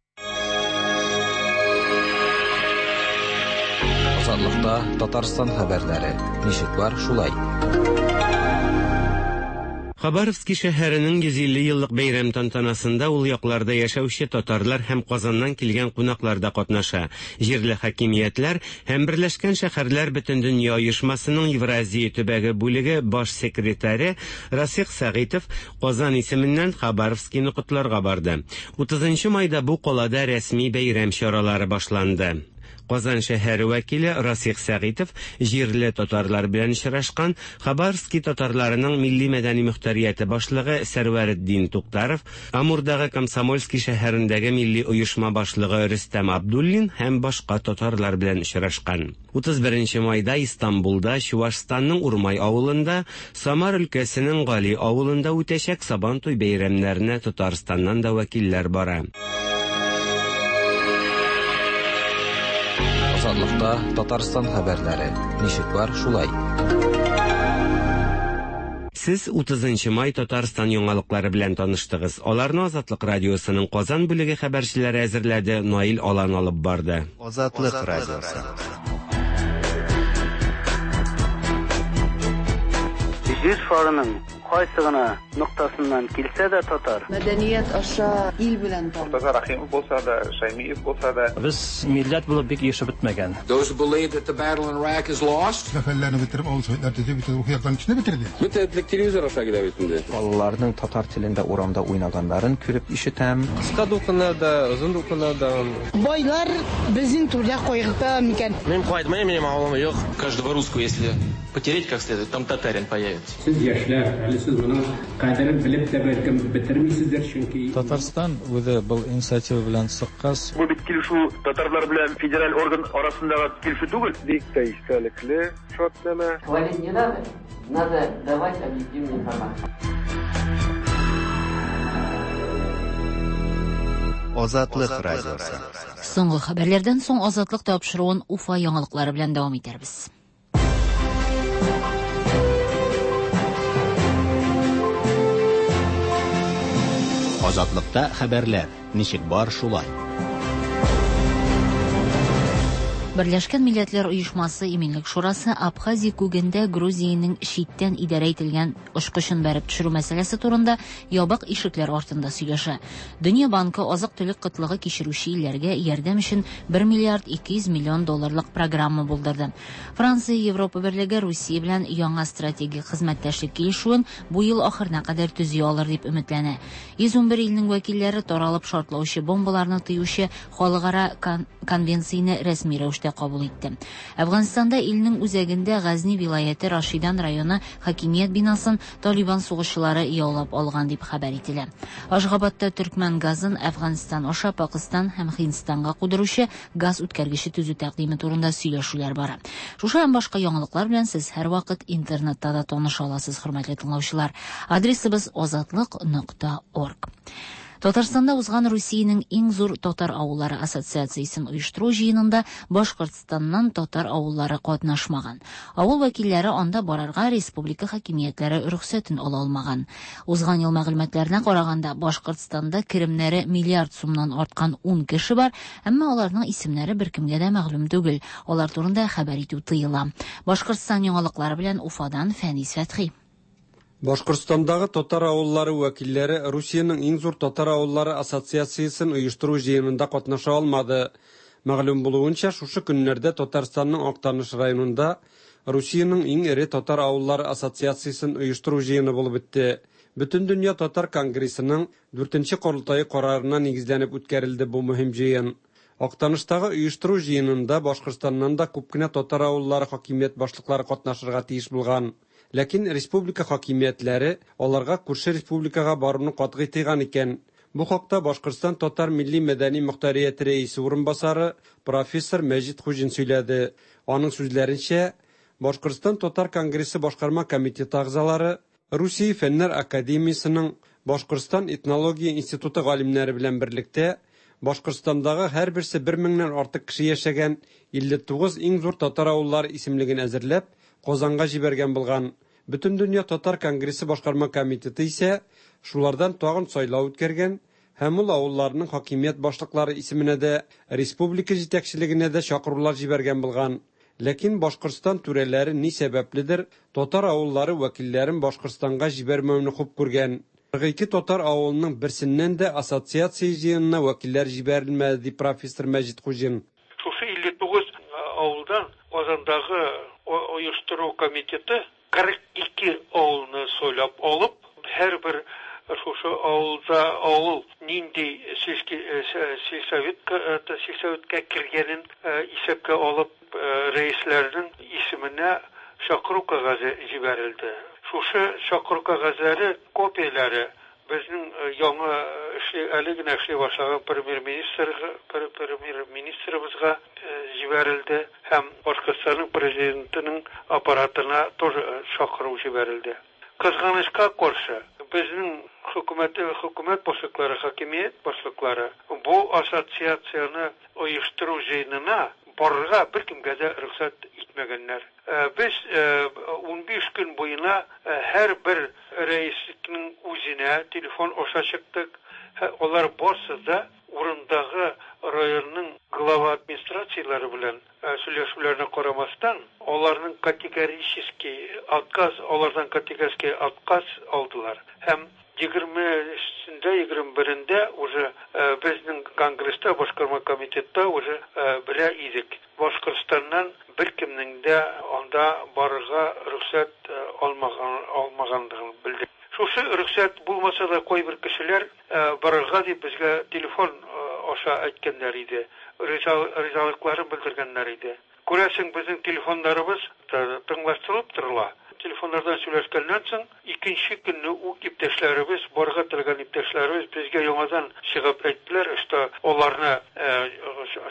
S18: Азатлыкта Татарстан хәбәрләре. Ничек бар, шулай.
S9: Хабаровский шәһәренең йөз илле еллык бәйрәм тантанасында ул якларда яшәүче татарлар һәм Казаннан килгән кунаклар да катнаша. Җирле хакимиятләр һәм Берләшкән шәһәрләр Бөтендөнья оешмасының Евразия төбәге бүлеге баш секретаре Расих Сәгыйтов Казан исеменнән Хабаровскийны котларга барды. утызынчы майда бу калада рәсми бәйрәм чаралары башланды. Казан шәһәре вәкиле Расих Сәгыйтов җирле татарлар белән очрашкан Хабаровский татарларының милли мәдәни мөхтәрияте башлыгы Сәрвәретдин Туктаров, Амурдагы Комсомольский шәһәрендәге милли оешма башлыгы Рөстәм Абдуллин һәм башка татарлар белән очрашкан. утыз беренче майда Истанбулда, Чувашстанның Урмай авылында, Самар өлкәсенең Гали авылында үтәчәк Сабантуй бәйрәмнәренә Татарстаннан да вәкилләр бара.
S18: Азатлыкта Татарстан хәбәрләре. Ничек бар, шулай.
S9: Сез утызынчы май Татарстан яңалыклары белән таныштыгыз. Аларны Азатлык радиосының Казан бүлеге хәбәрчеләре әзерләде, Наил Алан алып барды.
S3: Азатлык радиосы.
S24: Җир шарының
S5: кайсы гына ноктасыннан килсә дә татар.
S16: Мәдәният аша ил белән таныш.
S6: Мортаза Рахимов булса да, Шаймиев булса да.
S7: Без милләт булып бик ирешеп бетмәгән.
S24: Those who believe that the battle in Iraq is lost.
S25: Зафәрләрне бетереп, авыл советлар төзеп, бөтен рухи яктан кешене бетерде.
S26: Бөтен этлек телевизор аша килә бит инде.
S27: Балаларның татар телендә урамда уйнаганнарын күреп ишетәм.
S4: Кыска дулкыннарда, озын дулкыннарда.
S28: Байлар безнең турда кайгырта микән?
S29: Мин кайтмыйм, минем авылым юк.
S30: Каждого русского, если потереть как следует, там татарин появится.
S31: Сез яшьләр, әле сез моның кадерен белеп тә бәлкем бетермисездер, чөнки
S11: Татарстан үзе был инициатива белән чыккач.
S32: Бу бит килешү татарлар белән федераль орган арасындагы килешү түгел.
S33: Бик тә истәлекле шартнамә.
S34: Хвалить не надо, надо давать объективную информацию.
S3: Азатлык радиосы.
S2: Соңгы хәбәрләрдән соң Азатлык тапшыруын Уфа яңалыклары белән дәвам итәрбез.
S1: Азатлыкта хәбәрләр ничек бар шулай.
S2: Берләшкән Милләтләр Оешмасы Иминлек Шурасы Абхазия күгендә Грузиянең читтән идарә ителгән очкычын бәреп төшерү мәсьәләсе турында ябык ишекләр артында сөйләшә. Дөнья банкы азык-төлек кытлыгы кичерүче илләргә ярдәм өчен бер миллиард ике йөз миллион долларлык программа булдырды. Франция Европа Берлеге Русия белән яңа стратегик хезмәттәшлек килешүен бу ел ахырына кадәр төзи алыр дип өметләнә. йөз ун бер илнең вәкилләре таралып шартлаучы бомбаларны тыючы халыкара конвенцияне рәсми рәвештә кабул итте. Әфганстанда илнең үзәгендә Газни вилаяте Рашидан районы хакимият бинасын Талибан сугышчылары яулап алган дип хәбәр ителә. Ашгабатта төркмән газын Әфганстан аша Пакистан һәм Һиндстанга кудыручы газ үткәргече төзү тәкъдиме турында сөйләшүләр бара. Шушы һәм башка яңалыклар белән сез һәрвакыт интернетта да таныша аласыз, хөрмәтле тыңлаучылар. Адресыбыз азатлык нокта орг. Татарстанда узган Русиянең иң зур татар авыллары ассоциациясен оештыру җыенында Башкортстаннан татар авыллары катнашмаган. Авыл вәкилләре анда барырга республика хакимиятләре рөхсәтен ала алмаган. Узган ел мәгълүматларына караганда, Башкортстанда керемнәре миллиард сумнан арткан ун кеше бар, әмма аларның исемнәре беркемгә дә мәгълүм түгел. Алар турында хәбәр итү тыела. Башкортстан яңалыклары белән Уфадан Фәнис Фәтхи.
S35: Башкортстандагы татар авыллары вәкилләре Русиянең иң зур татар авыллары ассоциациясен оештыру җыенында катнаша алмады. Мәгълүм булуынча, шушы көннәрдә Татарстанның Актаныш районында Русиянең иң эре татар авыллары ассоциациясен оештыру җыены булып үтте. Бөтендөнья татар конгрессының дүртенче корылтае карарына нигезләнеп үткәрелде бу мөһим җыен. Актаныштагы оештыру җыенында Башкортстаннан да күп кенә татар авыллары хакимият башлыклары катнашырга тиеш булган. Ләкин республика хакимиятләре аларга күрше республикага баруны катгый тыйган икән. Бу хакта Башкортстан татар милли мәдәни мохтарияте рәисе урынбасары профессор Мәҗит Хуҗин сөйләде. Аның сүзләренчә, Башкортстан татар конгрессы башкарма комитеты әгъзалары Русия Фәннәр академиясының Башкортстан этнология институты галимнәре белән берлектә Башкортстандагы һәрберсе бер меңнән артык кеше яшәгән илле тугыз иң зур татар авыллары исемлеген әзерләп Казанга җибәргән булган. Бөтендөнья татар конгрессы башкарма комитеты исә шулардан тагын сайлау үткәргән һәм ул авылларның хакимият башлыклары исеменә дә, республика җитәкчелегенә дә чакырулар җибәргән булган. Ләкин Башкортстан түрәләре ни сәбәпледер татар авыллары вәкилләрен Башкортстанга җибәрмәүне хуп күргән. кырык ике татар авылының берсеннән дә ассоциация җыенына вәкилләр җибәрелмәде, ди профессор Мәҗит Хуҗин.
S36: Шушы илле тугыз авылдан Казандагы оештыру комитеты кырык ике авылны сайлап алып, һәрбер шушы авылда авыл нинди сельсоветка сельсоветка кергәнен исәпкә алып, рәисләрнең исеменә чакыру кәгазе җибәрелде. Шушы чакыру кәгазьләре копияләре безнең яңа әле генә эшли башлаган премьер-министр премьер-министрыбызга җибәрелде һәм Башкортстанның президентының аппаратына тоже чакыру җибәрелде. Кызганычка каршы, безнең хөкүмәт хөкүмәт башлыклары, хакимият башлыклары бу ассоциацияне оештыру җыенына барырга беркемгә дә рөхсәт итмәгәннәр. Без ун биш көн буена һәрбер рәислекнең үзенә телефон аша чыктык. Алар барсы да урындагы районның глава администрацияләре белән сөйләшүләренә карамастан, аларның категорический отказ, алардан категорический отказ алдылар. Һәм егермесендә, егерме берендә уже безнең конгресста, башкарма комитетта уже белә идек. Башкортстаннан беркемнең дә анда барырга рөхсәт алмаган, алмаганлыгын белдек. Шушы рөхсәт булмаса да кайбер кешеләр барырга дип безгә телефон аша әйткәннәр иде, ризалыкларын белдергәннәр иде. Күрәсең, безнең телефоннарыбыз тыңлаштырылып торыла. Телефоннардан сөйләшкәннән соң, икенче көнне үк иптәшләребез, барырга теләгән иптәшләребез безгә яңадан чыгып әйттеләр, что аларны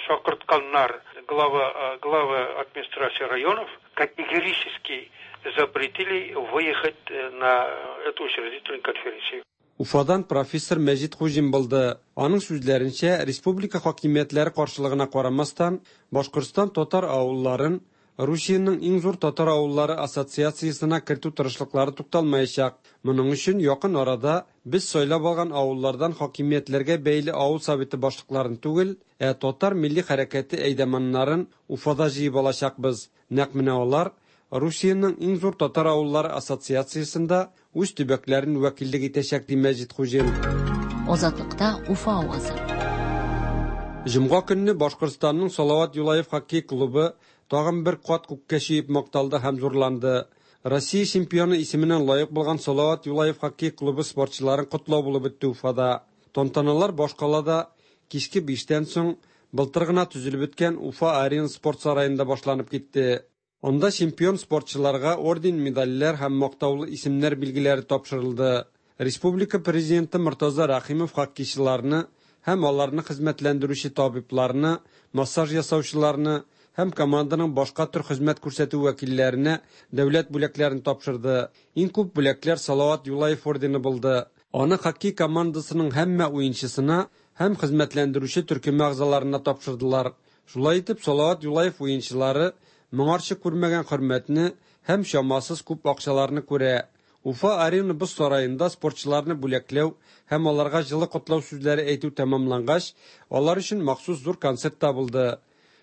S36: чакыртканнар глава, глава администрации районов категорически запретили выехать на эту учредительную конференцию.
S35: Уфадан профессор Мәҗит Хуҗин булды. Аның сүзләренчә, республика хакимиятләре каршылыгына карамастан, Башкортстан татар авылларын Русиянең иң зур татар авыллары ассоциациясенә кертү тырышлыклары тукталмаячак. Моның өчен якын арада без сайлап алган авыллардан хакимиятләргә бәйле авыл советы башлыкларын түгел, ә татар милли хәрәкәте әйдәманнарын Уфада җыеп алачакбыз. Нәкъ менә алар Русиянең иң зур татар авыллары ассоциациясендә үз төбәкләрен вәкиллек итәчәк, ди Мәҗит Хуҗин.
S2: Азатлыкта Уфа авазы.
S35: Җомга көнне Башкортстанның Салават Юлаев хоккей клубы тагын бер кат күккә чөеп макталды һәм зурланды. Россия чемпионы исеменә лаек булган Салават Юлаев хоккей клубы спортчыларын котлау булып үтте Уфада. Тантаналар башкалада кичке биштән соң былтыр гына төзелеп беткән Уфа Арена спорт сараенда башланып китте. Анда чемпион спортчыларга орден, медальләр һәм мактаулы исемнәр билгеләре тапшырылды. Республика президенты Мортаза Рәхимов хоккейчыларны һәм аларны хезмәтләндерүче табибларны, массаж ясаучыларны һәм команданың башка төр хезмәт күрсәтү вәкилләренә дәүләт бүләкләрен тапшырды. Иң күп бүләкләр Салават Юлаев ордены булды. Аны хоккей командасының һәммә уенчысына һәм хезмәтләндерүче төркем әгъзаларына тапшырдылар. Шулай итеп, Салават Юлаев уенчылары моңарчы күрмәгән хөрмәтне һәм чамасыз күп акчаларны күрә. Уфа Арена боз сараенда спортчыларны бүләкләү һәм аларга җылы котлау сүзләре әйтү тәмамлангач, алар өчен махсус зур концерт та булды.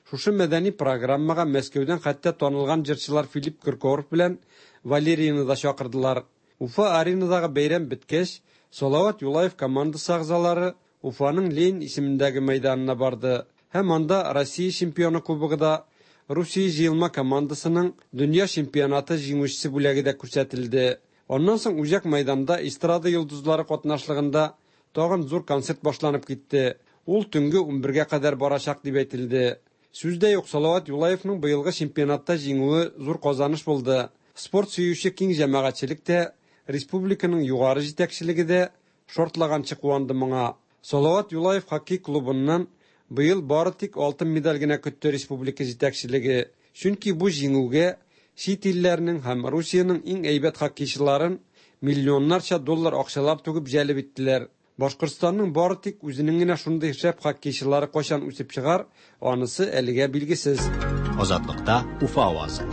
S35: Шушы мәдәни программага Мәскәүдән хәтта танылган җырчылар Филипп Киркоров белән Валерияны да чакырдылар. Уфа Аренадагы бәйрәм беткәч, Салават Юлаев командасы әгъзалары Уфаның Ленин исемендәге мәйданына барды һәм анда Россия чемпионы кубогы да, Русия җыелма командасының дөнья чемпионаты җиңүчесе бүләге дә күрсәтелде. Аннан соң үзәк мәйданда эстрада йолдызлары катнашлыгында тагын зур концерт башланып китте. Ул төнге унбергә кадәр барачак дип әйтелде. Сүз дә юк, Салават Юлаевның быелгы чемпионатта җиңүе зур казаныш булды. Спорт сөюче киң җәмәгатьчелек тә, республиканың югары җитәкчелеге дә шортлаганчы куанды моңа. Салават Юлаев хоккей клубыннан быел бары тик алтын медаль генә көтте республика җитәкчелеге. Чөнки бу җиңүгә чит илләрнең һәм Русиянең иң әйбәт хоккейчыларын миллионнарча доллар акчалар түгеп җәлеп иттеләр. Башкортстанның бары тик үзенең генә шундый шәп хоккейчылары кайчан үсеп чыгар, анысы әлегә билгесез.
S1: Азатлыкта Уфа авазы.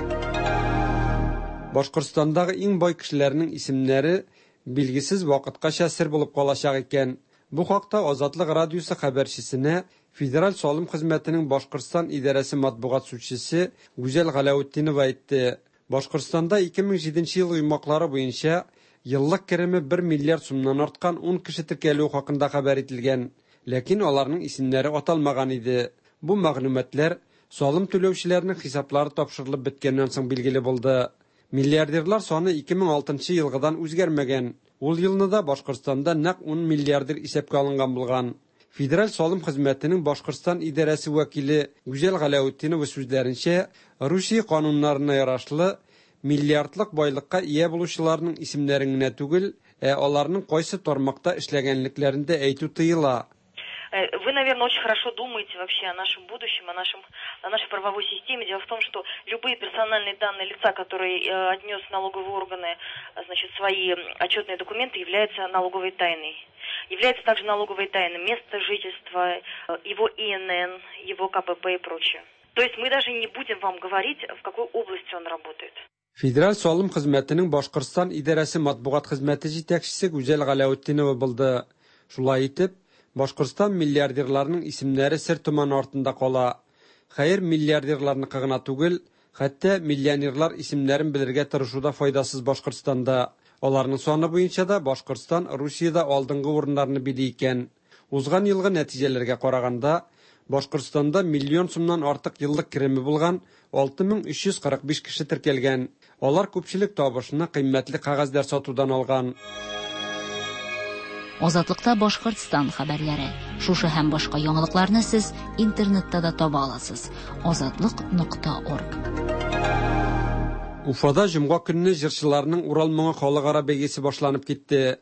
S35: Башкортстандагы иң бай кешеләрнең исемнәре билгесез вакыткача сер булып калачак икән. Бу хакта Азатлык радиосы хәбәрчесенә Федераль салым хезмәтенең Башкортстан идарәсе матбугат сүзчесе Гүзәл Галәүтдинова әйтте. Башкортстанда ике мең җиденче ел йомгаклары буенча еллык кереме бер миллиард сумнан арткан ун кеше теркәлүе хакында хәбәр ителгән, ләкин аларның исемнәре аталмаган иде. Бу мәгълүматлар салым түләүчеләрнең хисаплары тапшырылып беткәннән соң билгеле булды. Миллиардерлар саны ике мең алтынчы елгыдан үзгәрмәгән. Ул елны да Башкортстанда нәкъ ун миллиардер исәпкә алынган булган. Федераль салым хезмәтенең Башкортстан идарәсе вәкиле Гүзәл Галәүтдинова сүзләренчә, Русия кануннарына ярашлы миллиардлык байлыкка ия булучыларның исемнәрен генә түгел, ә аларның кайсы тармакта эшләгәнлекләрен дә әйтү тыела.
S5: Вы, наверное, очень хорошо думаете вообще о нашем будущем, о нашем, о нашей правовой системе. Дело в том, что любые персональные данные лица, которые отнес налоговые органы, значит, свои отчетные документы, являются налоговой тайной. Является также налоговой тайной место жительства, его И Н Н, его К П П и прочее. То есть мы даже не будем вам говорить, в какой области он работает.
S35: Федераль салым хезмәтенең Башкортстан идарәсе матбугат хезмәте җитәкчесе Гүзәл Галәүтдинова булды. Шулай итеп, Башкортстан миллиардерларының исемнәре сер томаны артында кала. Хәер, миллиардерларныкы гына түгел, хәтта миллионерлар исемнәрен белергә тырышу да файдасыз Башкортстанда. Аларның саны буенча да Башкортстан Русиядә алдынгы урыннарны били икән. Узган елгы нәтиҗәләргә караганда, Башкортстанда миллион сумнан артык еллык кереме булган алты мең өч йөз кырык биш кеше теркәлгән. Алар күпчелек табышны кыйммәтле кәгазьләр сатудан алган.
S2: Азатлыкта Башкортстан хәбәрләре. Шушы һәм башка яңалыкларны сез интернетта да таба аласыз. Азатлык нокта орг.
S35: Уфада җомга көнне җырчыларның Урал моңы халыкара бәйгесе башланып китте.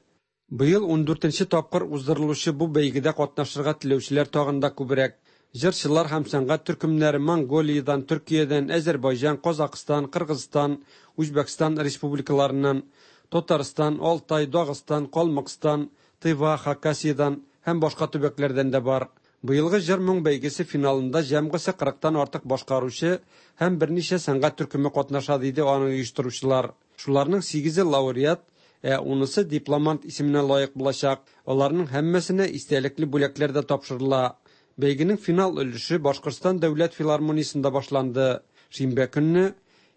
S35: Быел ун дүртенче тапкыр уздырылучы бу бәйгедә катнашырга теләүчеләр тагын да күбрәк. Җырчылар һәм сәнгать төркемнәре Монголиядән, Төркиядән, Әзербайҗан, Казакъстан, Кыргызстан, Үзбәкстан республикаларыннан, Татарстан, Алтай, Дагыстан, Калмыкстан, Тыва, Хакасиядан һәм башка төбәкләрдән дә бар. Быелгы җыр моң бәйгесе финалында җәмгысе кырыктан артык башкаручы һәм берничә сәнгать төркеме катнаша, диде аны оештыручылар. Шуларның сигезе лауреат, ә унысы дипломант исеменә лаек булачак. Аларның һәммәсенә истәлекле бүләкләр дә тапшырыла. Бәйгенең финал өлеше Башкортстан дәүләт филармониясендә башланды. Шимбә көнне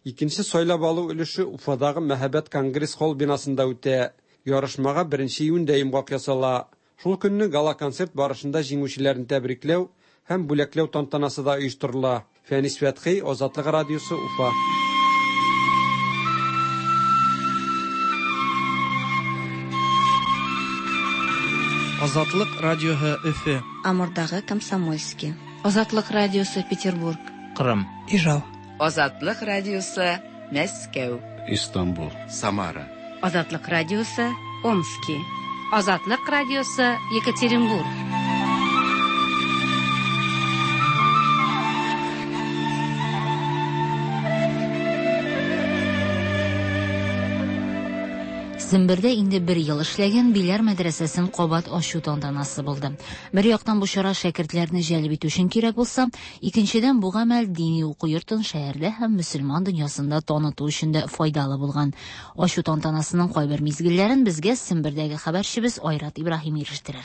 S35: икенче сайлап алу өлеше Уфадагы Мәһабәт конгресс-холл бинасында үтә. Ярышмага беренче июньдә йомгак ясала. Шул көнне гала-концерт барышында җиңүчеләрне тәбрикләү һәм бүләкләү тантанасы да оештырыла. Фәнис Фәтхи, Азатлык радиосы, Уфа.
S6: Азатлык радиоһы Өфө.
S8: Амурдагы Комсомольский.
S9: Азатлык радиосы Петербург.
S7: Кырым.
S10: Ижау.
S12: Азатлык радиосы Мәскәү.
S13: Истанбул.
S14: Самара.
S15: Азатлык радиосы Омски.
S16: Азатлык радиосы Екатеринбург.
S2: Сембердә инде бер ел эшләгән Биләр мәдрәсәсен кабат ачу тантанасы булды. Бер яктан бу чара шәкертләрне җәлеп итү өчен кирәк булса, икенчедән бу гамәл дини уку йортын шәһәрдә һәм мөселман дөньясында таныту өчен дә файдалы булган. Ачу тантанасының кайбер мизгелләрен безгә Сембердәге хәбәрчебез Айрат Ибраһим ирештерер.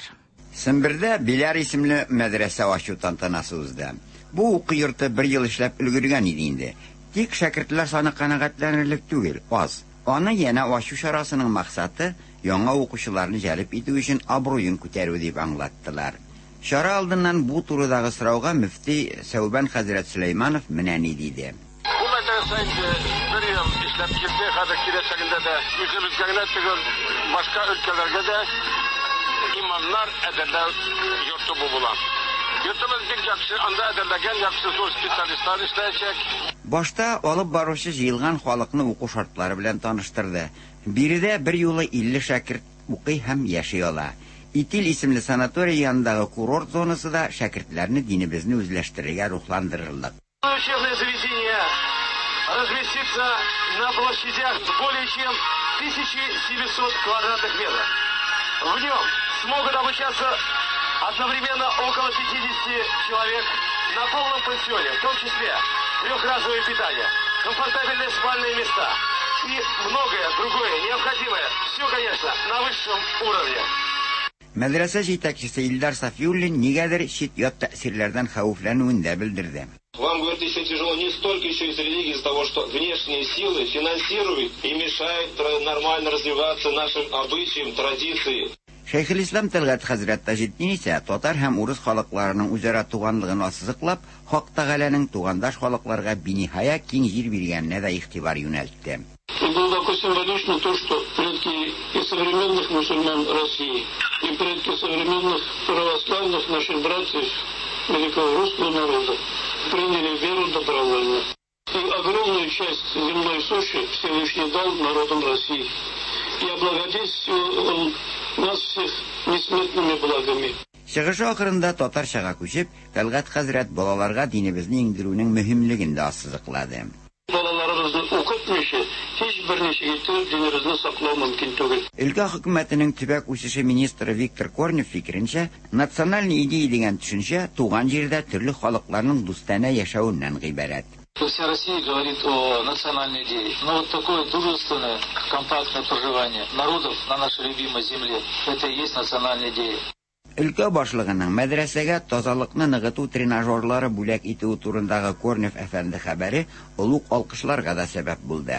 S17: Сембердә Биләр исемле мәдрәсә ачу тантанасы узды. Бу уку йорты бер ел эшләп өлгергән иде инде. Тик шәкертләр саны канәгатьләнерлек түгел, аз. Аны яна ачу чарасының максаты яңа укучыларны җәлеп итү өчен абруен күтәрү дип аңлаттылар. Чара алдыннан бу турыдагы сорауга мөфти Сәүбән хәзрәт Сөләйманов менә ни диде.
S18: Бу мәдрәсә инде бер ел эшләп килде, хәзер киләчәгендә дә үзебезгә генә түгел, башка өлкәләргә дә имамнар әзерләү йорты бу була. Йортыбыз бик яхшы, анда әзерләгән яхшы зур специалистлар эшләячәк.
S17: Башта алып баручы җыелган халыкны уку шартлары белән таныштырды. Биредә бер юлы илле шәкерт укый һәм яши ала. Итил исемле санаторий янындагы курорт зонасы да шәкертләрне динебезне үзләштерергә рухландырырлык.
S18: Учебное заведение разместится на площадях более чем тысячи семисот квадратных метров. В нем смогут обучаться одновременно около пятидесяти человек на полном пансионе, в том числе трехразовое питание, комфортабельные спальные места и многое другое необходимое. Все, конечно, на высшем уровне.
S17: Мәдрәсә җитәкчесе Илдар Сафиуллин нигәдер чит-ят тәэсирләрдән хәвефләнүен дә белдерде.
S19: Вам, говорит, еще тяжело не столько еще из религии, из-за того, что внешние силы финансируют и мешают нормально развиваться нашим обычаям, традиции.
S17: Шәйхелислам Тәлгать хәзрәт Таҗетдин исә татар һәм урыс халыкларының үзара туганлыгын ассызыклап, Хак Тәгаләнең тугандаш халыкларга биниһая киң җир биргәненә дә игътибар юнәлтте.
S18: И глубоко символично то, что предки и современных мусульман России, и предки современных православных наших братьев великого русского народа приняли веру добровольно. И огромную часть земной суши Всевышний дал народам России. И облагодетельствовал он нас всех несметными благами.
S17: Чыгышы ахырында татарчага күчеп, Тәлгать хәзрәт балаларга динебезне иңдерүнең мөһимлеген дә ассызыклады.
S18: Балаларыбызны укытмыйча, һич бер ничек итеп динебезне саклау мөмкин түгел.
S17: Өлкә хөкүмәтенең төбәк үсеше министры Виктор Корнев фикеренчә, националь идея дигән төшенчә туган җирдә төрле халыкларның дустанә яшәвеннән гыйбарәт.
S20: Вся Россия говорит о национальной идее. Но вот такое дружественное, компактное проживание народов на нашей любимой земле, это и есть национальная идея.
S17: Өлкә башлыгының мәдрәсәгә тазалыкны ныгыту тренажерлары бүләк итүе турындагы Корнев әфәнде хәбәре олуг алкышларга да сәбәп булды.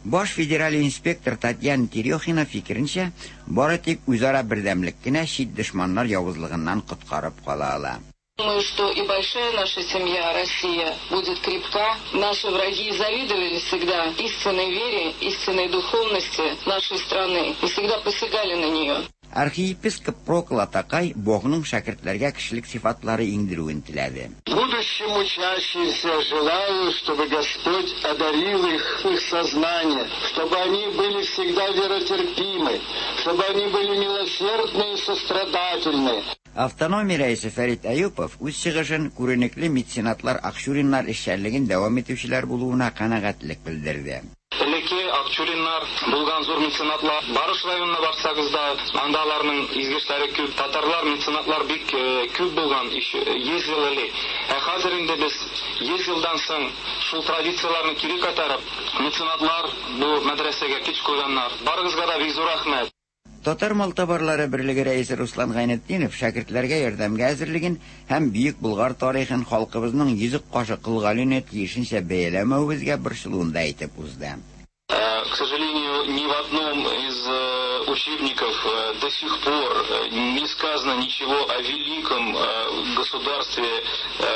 S17: Баш федераль инспектор Татьяна Терехина фикеренчә, бары тик үзара бердәмлек кенә чит дошманнар явызлыгыннан коткарып кала ала.
S4: Думаю, что и большая наша семья, Россия, будет крепка. Наши враги завидовали всегда истинной вере, истинной духовности нашей страны и всегда посягали на нее.
S17: Архиепископ Прокл атакай Богның шәкертләргә кешелек сыйфатлары иңдерүен теләде.
S10: Будущим учащимся желаю, чтобы Господь одарил их, их сознание, чтобы они были всегда веротерпимы, чтобы они были милосердны и сострадательны.
S17: Автономия рәисе Фәрит Әюпов үз чыгышын күренекле меценатлар Акчуриннар эшчәнлеген дәвам итүчеләр булуына канәгатьлек белдерде.
S19: Элекке Акчуриннар булган зур меценатлар, Барыш районына барсагыз да, анда аларның изге эшләре күп. Татарлар меценатлар бик күп булган йөз ел элек. Ә хәзер инде без йөз елдан соң шул традицияләрне кире кайтарып, меценатлар бу мәдрәсәгә көч куйганнар. Барыгызга да бик зур рәхмәт.
S17: Татар малтабарлары берлеге рәисе Руслан Гайнетдинов шәкертләргә ярдәмгә әзерлеген һәм бөек Болгар тарихын халкыбызның йөзек кашы Кол Галине тиешенчә бәяләмәвебезгә борчылуын да әйтеп узды.
S19: К сожалению, ни в одном из учебников до сих пор не сказано ничего о великом государстве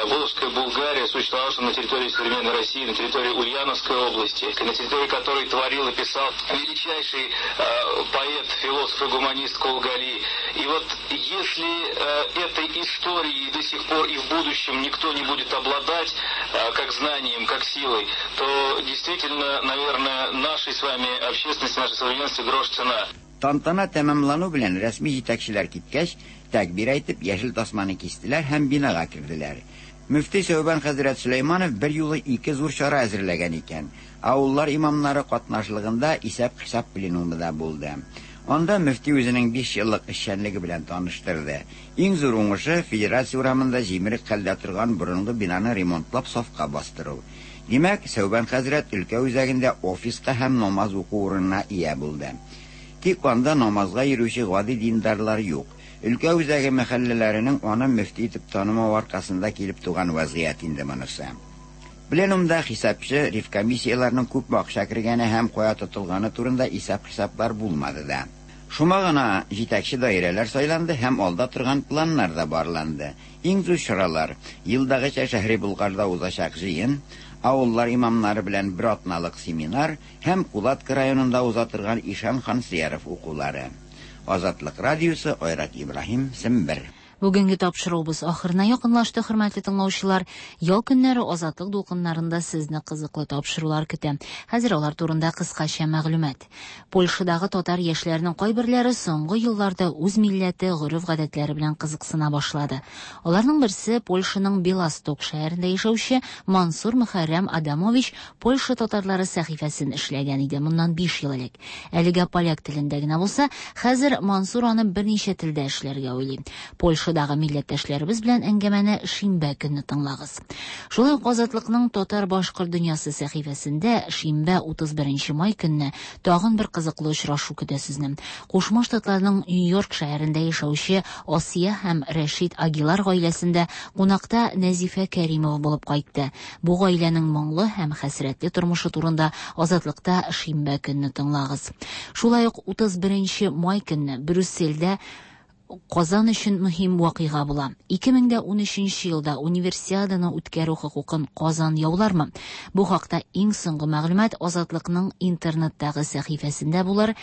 S19: Волжская Булгария, существовавшем на территории современной России, на территории Ульяновской области, на территории которой творил и писал величайший поэт, философ и гуманист Кол Гали. И вот если этой историей до сих пор и в будущем никто не будет обладать как знанием, как силой, то действительно, наверное, нашей с вами общественности, нашей современности грош цена.
S17: Тантана тәмамлану белән рәсми җитәкчеләр киткәч, тәкбир әйтеп, яшел тасманы кистеләр һәм бинага керделәр. Мөфти Сәүбән хәзрәт Сөләйманов бер юлы ике зур чара әзерләгән икән. Авыллар имамнары катнашлыгында исәп-хисап пленумы да булды. Анда мөфти үзенең биш еллык эшчәнлеге белән таныштырды. Иң зур уңышы Федерация урамында җимерек хәлдә торган борынгы бинаны ремонтлап сафка бастыру. Димәк, Сәүбән хәзрәт өлкә үзәгендә офиска һәм намаз уку урынына ия булды. Тик анда намазга йөрүче гади диндарлар юк. Өлкә үзәге мәхәлләләренең аны мөфти итеп танымау аркасында килеп туган вазгыять инде монысы. Пленумда хисапчы ревкомиссияләрнең күп акча кергәне һәм кая тотылганы турында исәп-хисаплар булмады да. Шума гына җитәкче даирәләр сайланды һәм алда торган планнар да барланды. Иң зур чаралар елдагыча Шәһри Болгарда узачак җыен, авыллар имамнары белән бер атналык семинар һәм Кулатка районында уза торган Ишан Хансияров укулары. Азатлык радиосы, Айрат Ибраһим, Сембер.
S2: Бүгенге тапшыруыбыз ахырына якынлашты, хөрмәтле тыңлаучылар. Ял көннәре Азатлык дулкыннарында сезне кызыклы тапшырулар көтә. Хәзер алар турында кыскача мәгълүмат. Польшадагы татар яшьләренең кайберләре соңгы елларда үз милләте, гореф-гадәтләре белән кызыксына башлады. Аларның берсе Польшаның Белосток шәһәрендә яшәүче Мансур Мөхәррәм Адамович Польша татарлары сәхифәсен эшләгән иде моннан биш ел элек. Әлегә поляк телендә генә булса, хәзер Мансур аны берничә телдә эшләргә уйлый. Польша Дагы милләттәшләребез белән әңгәмәне шимбә көнне тыңлагыз. Шулай ук Азатлыкның Татар башкорт дөньясы сәхифәсендә шимбә утыз беренче май көнне тагын бер кызыклы очрашу көтә сезне. Кушма Штатларның Нью-Йорк шәһәрендә яшәүче Асия һәм Рәшит Агилар гаиләсендә кунакта Нәзифә Кәримова булып кайтты. Бу гаиләнең моңлы һәм хәсрәтле тормышы турында Азатлыкта шимбә көнне тыңлагыз. Шулай ук утыз беренче май көнне Брюссельдә Казан өчен мөһим вакыйга була. ике мең дә унөченче елда универсиаданы үткәрү хокукын Казан яулармы? Бу хакта иң соңгы мәгълүмат Азатлыкның интернеттагы сәхифәсендә булыр.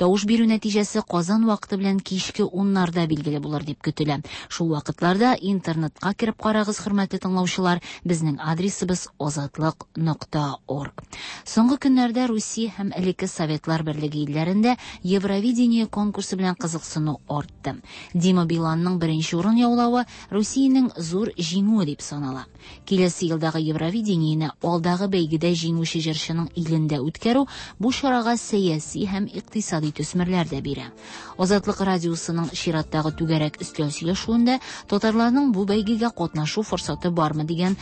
S2: Тавыш бирү нәтиҗәсе Казан вакыты белән кичке уннарда билгеле булыр дип көтелә. Шул вакытларда интернетка кереп карагыз, хөрмәтле тыңлаучылар. Безнең адресыбыз азатлык нокта орг. Соңгы көннәрдә Русия һәм элекке Советлар Берлеге илләрендә Евровидение конкурсы белән кызыксыну артты. Дима Биланның беренче урын яулавы Русиянең зур җиңүе дип санала. Киләсе елдагы Евровидениене алдагы бәйгедә җиңүче җырчының илендә үткәрү бу чарага сәяси һәм икътисади төсмерләр дә бирә. Азатлык радиосының чираттагы түгәрәк өстәл сөйләшүендә татарларның бу бәйгегә катнашу форсаты бармы дигән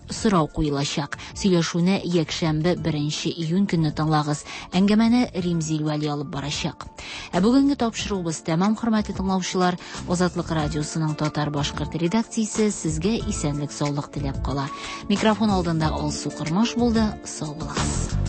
S2: сорау куелачак. Сөйләшүне якшәмбе беренче июнь көнне тыңлагыз. Әңгәмәне Римзил Вәли алып барачак. Ә бүгенге тапшыруыбыз тәмам, хөрмәтле тыңлаучылар. Азатлык радиосының татар-башкорт редакциясе сезгә исәнлек-саулык теләп кала. Микрофон алдында Алсу Кормаш булды. Сау булыгыз.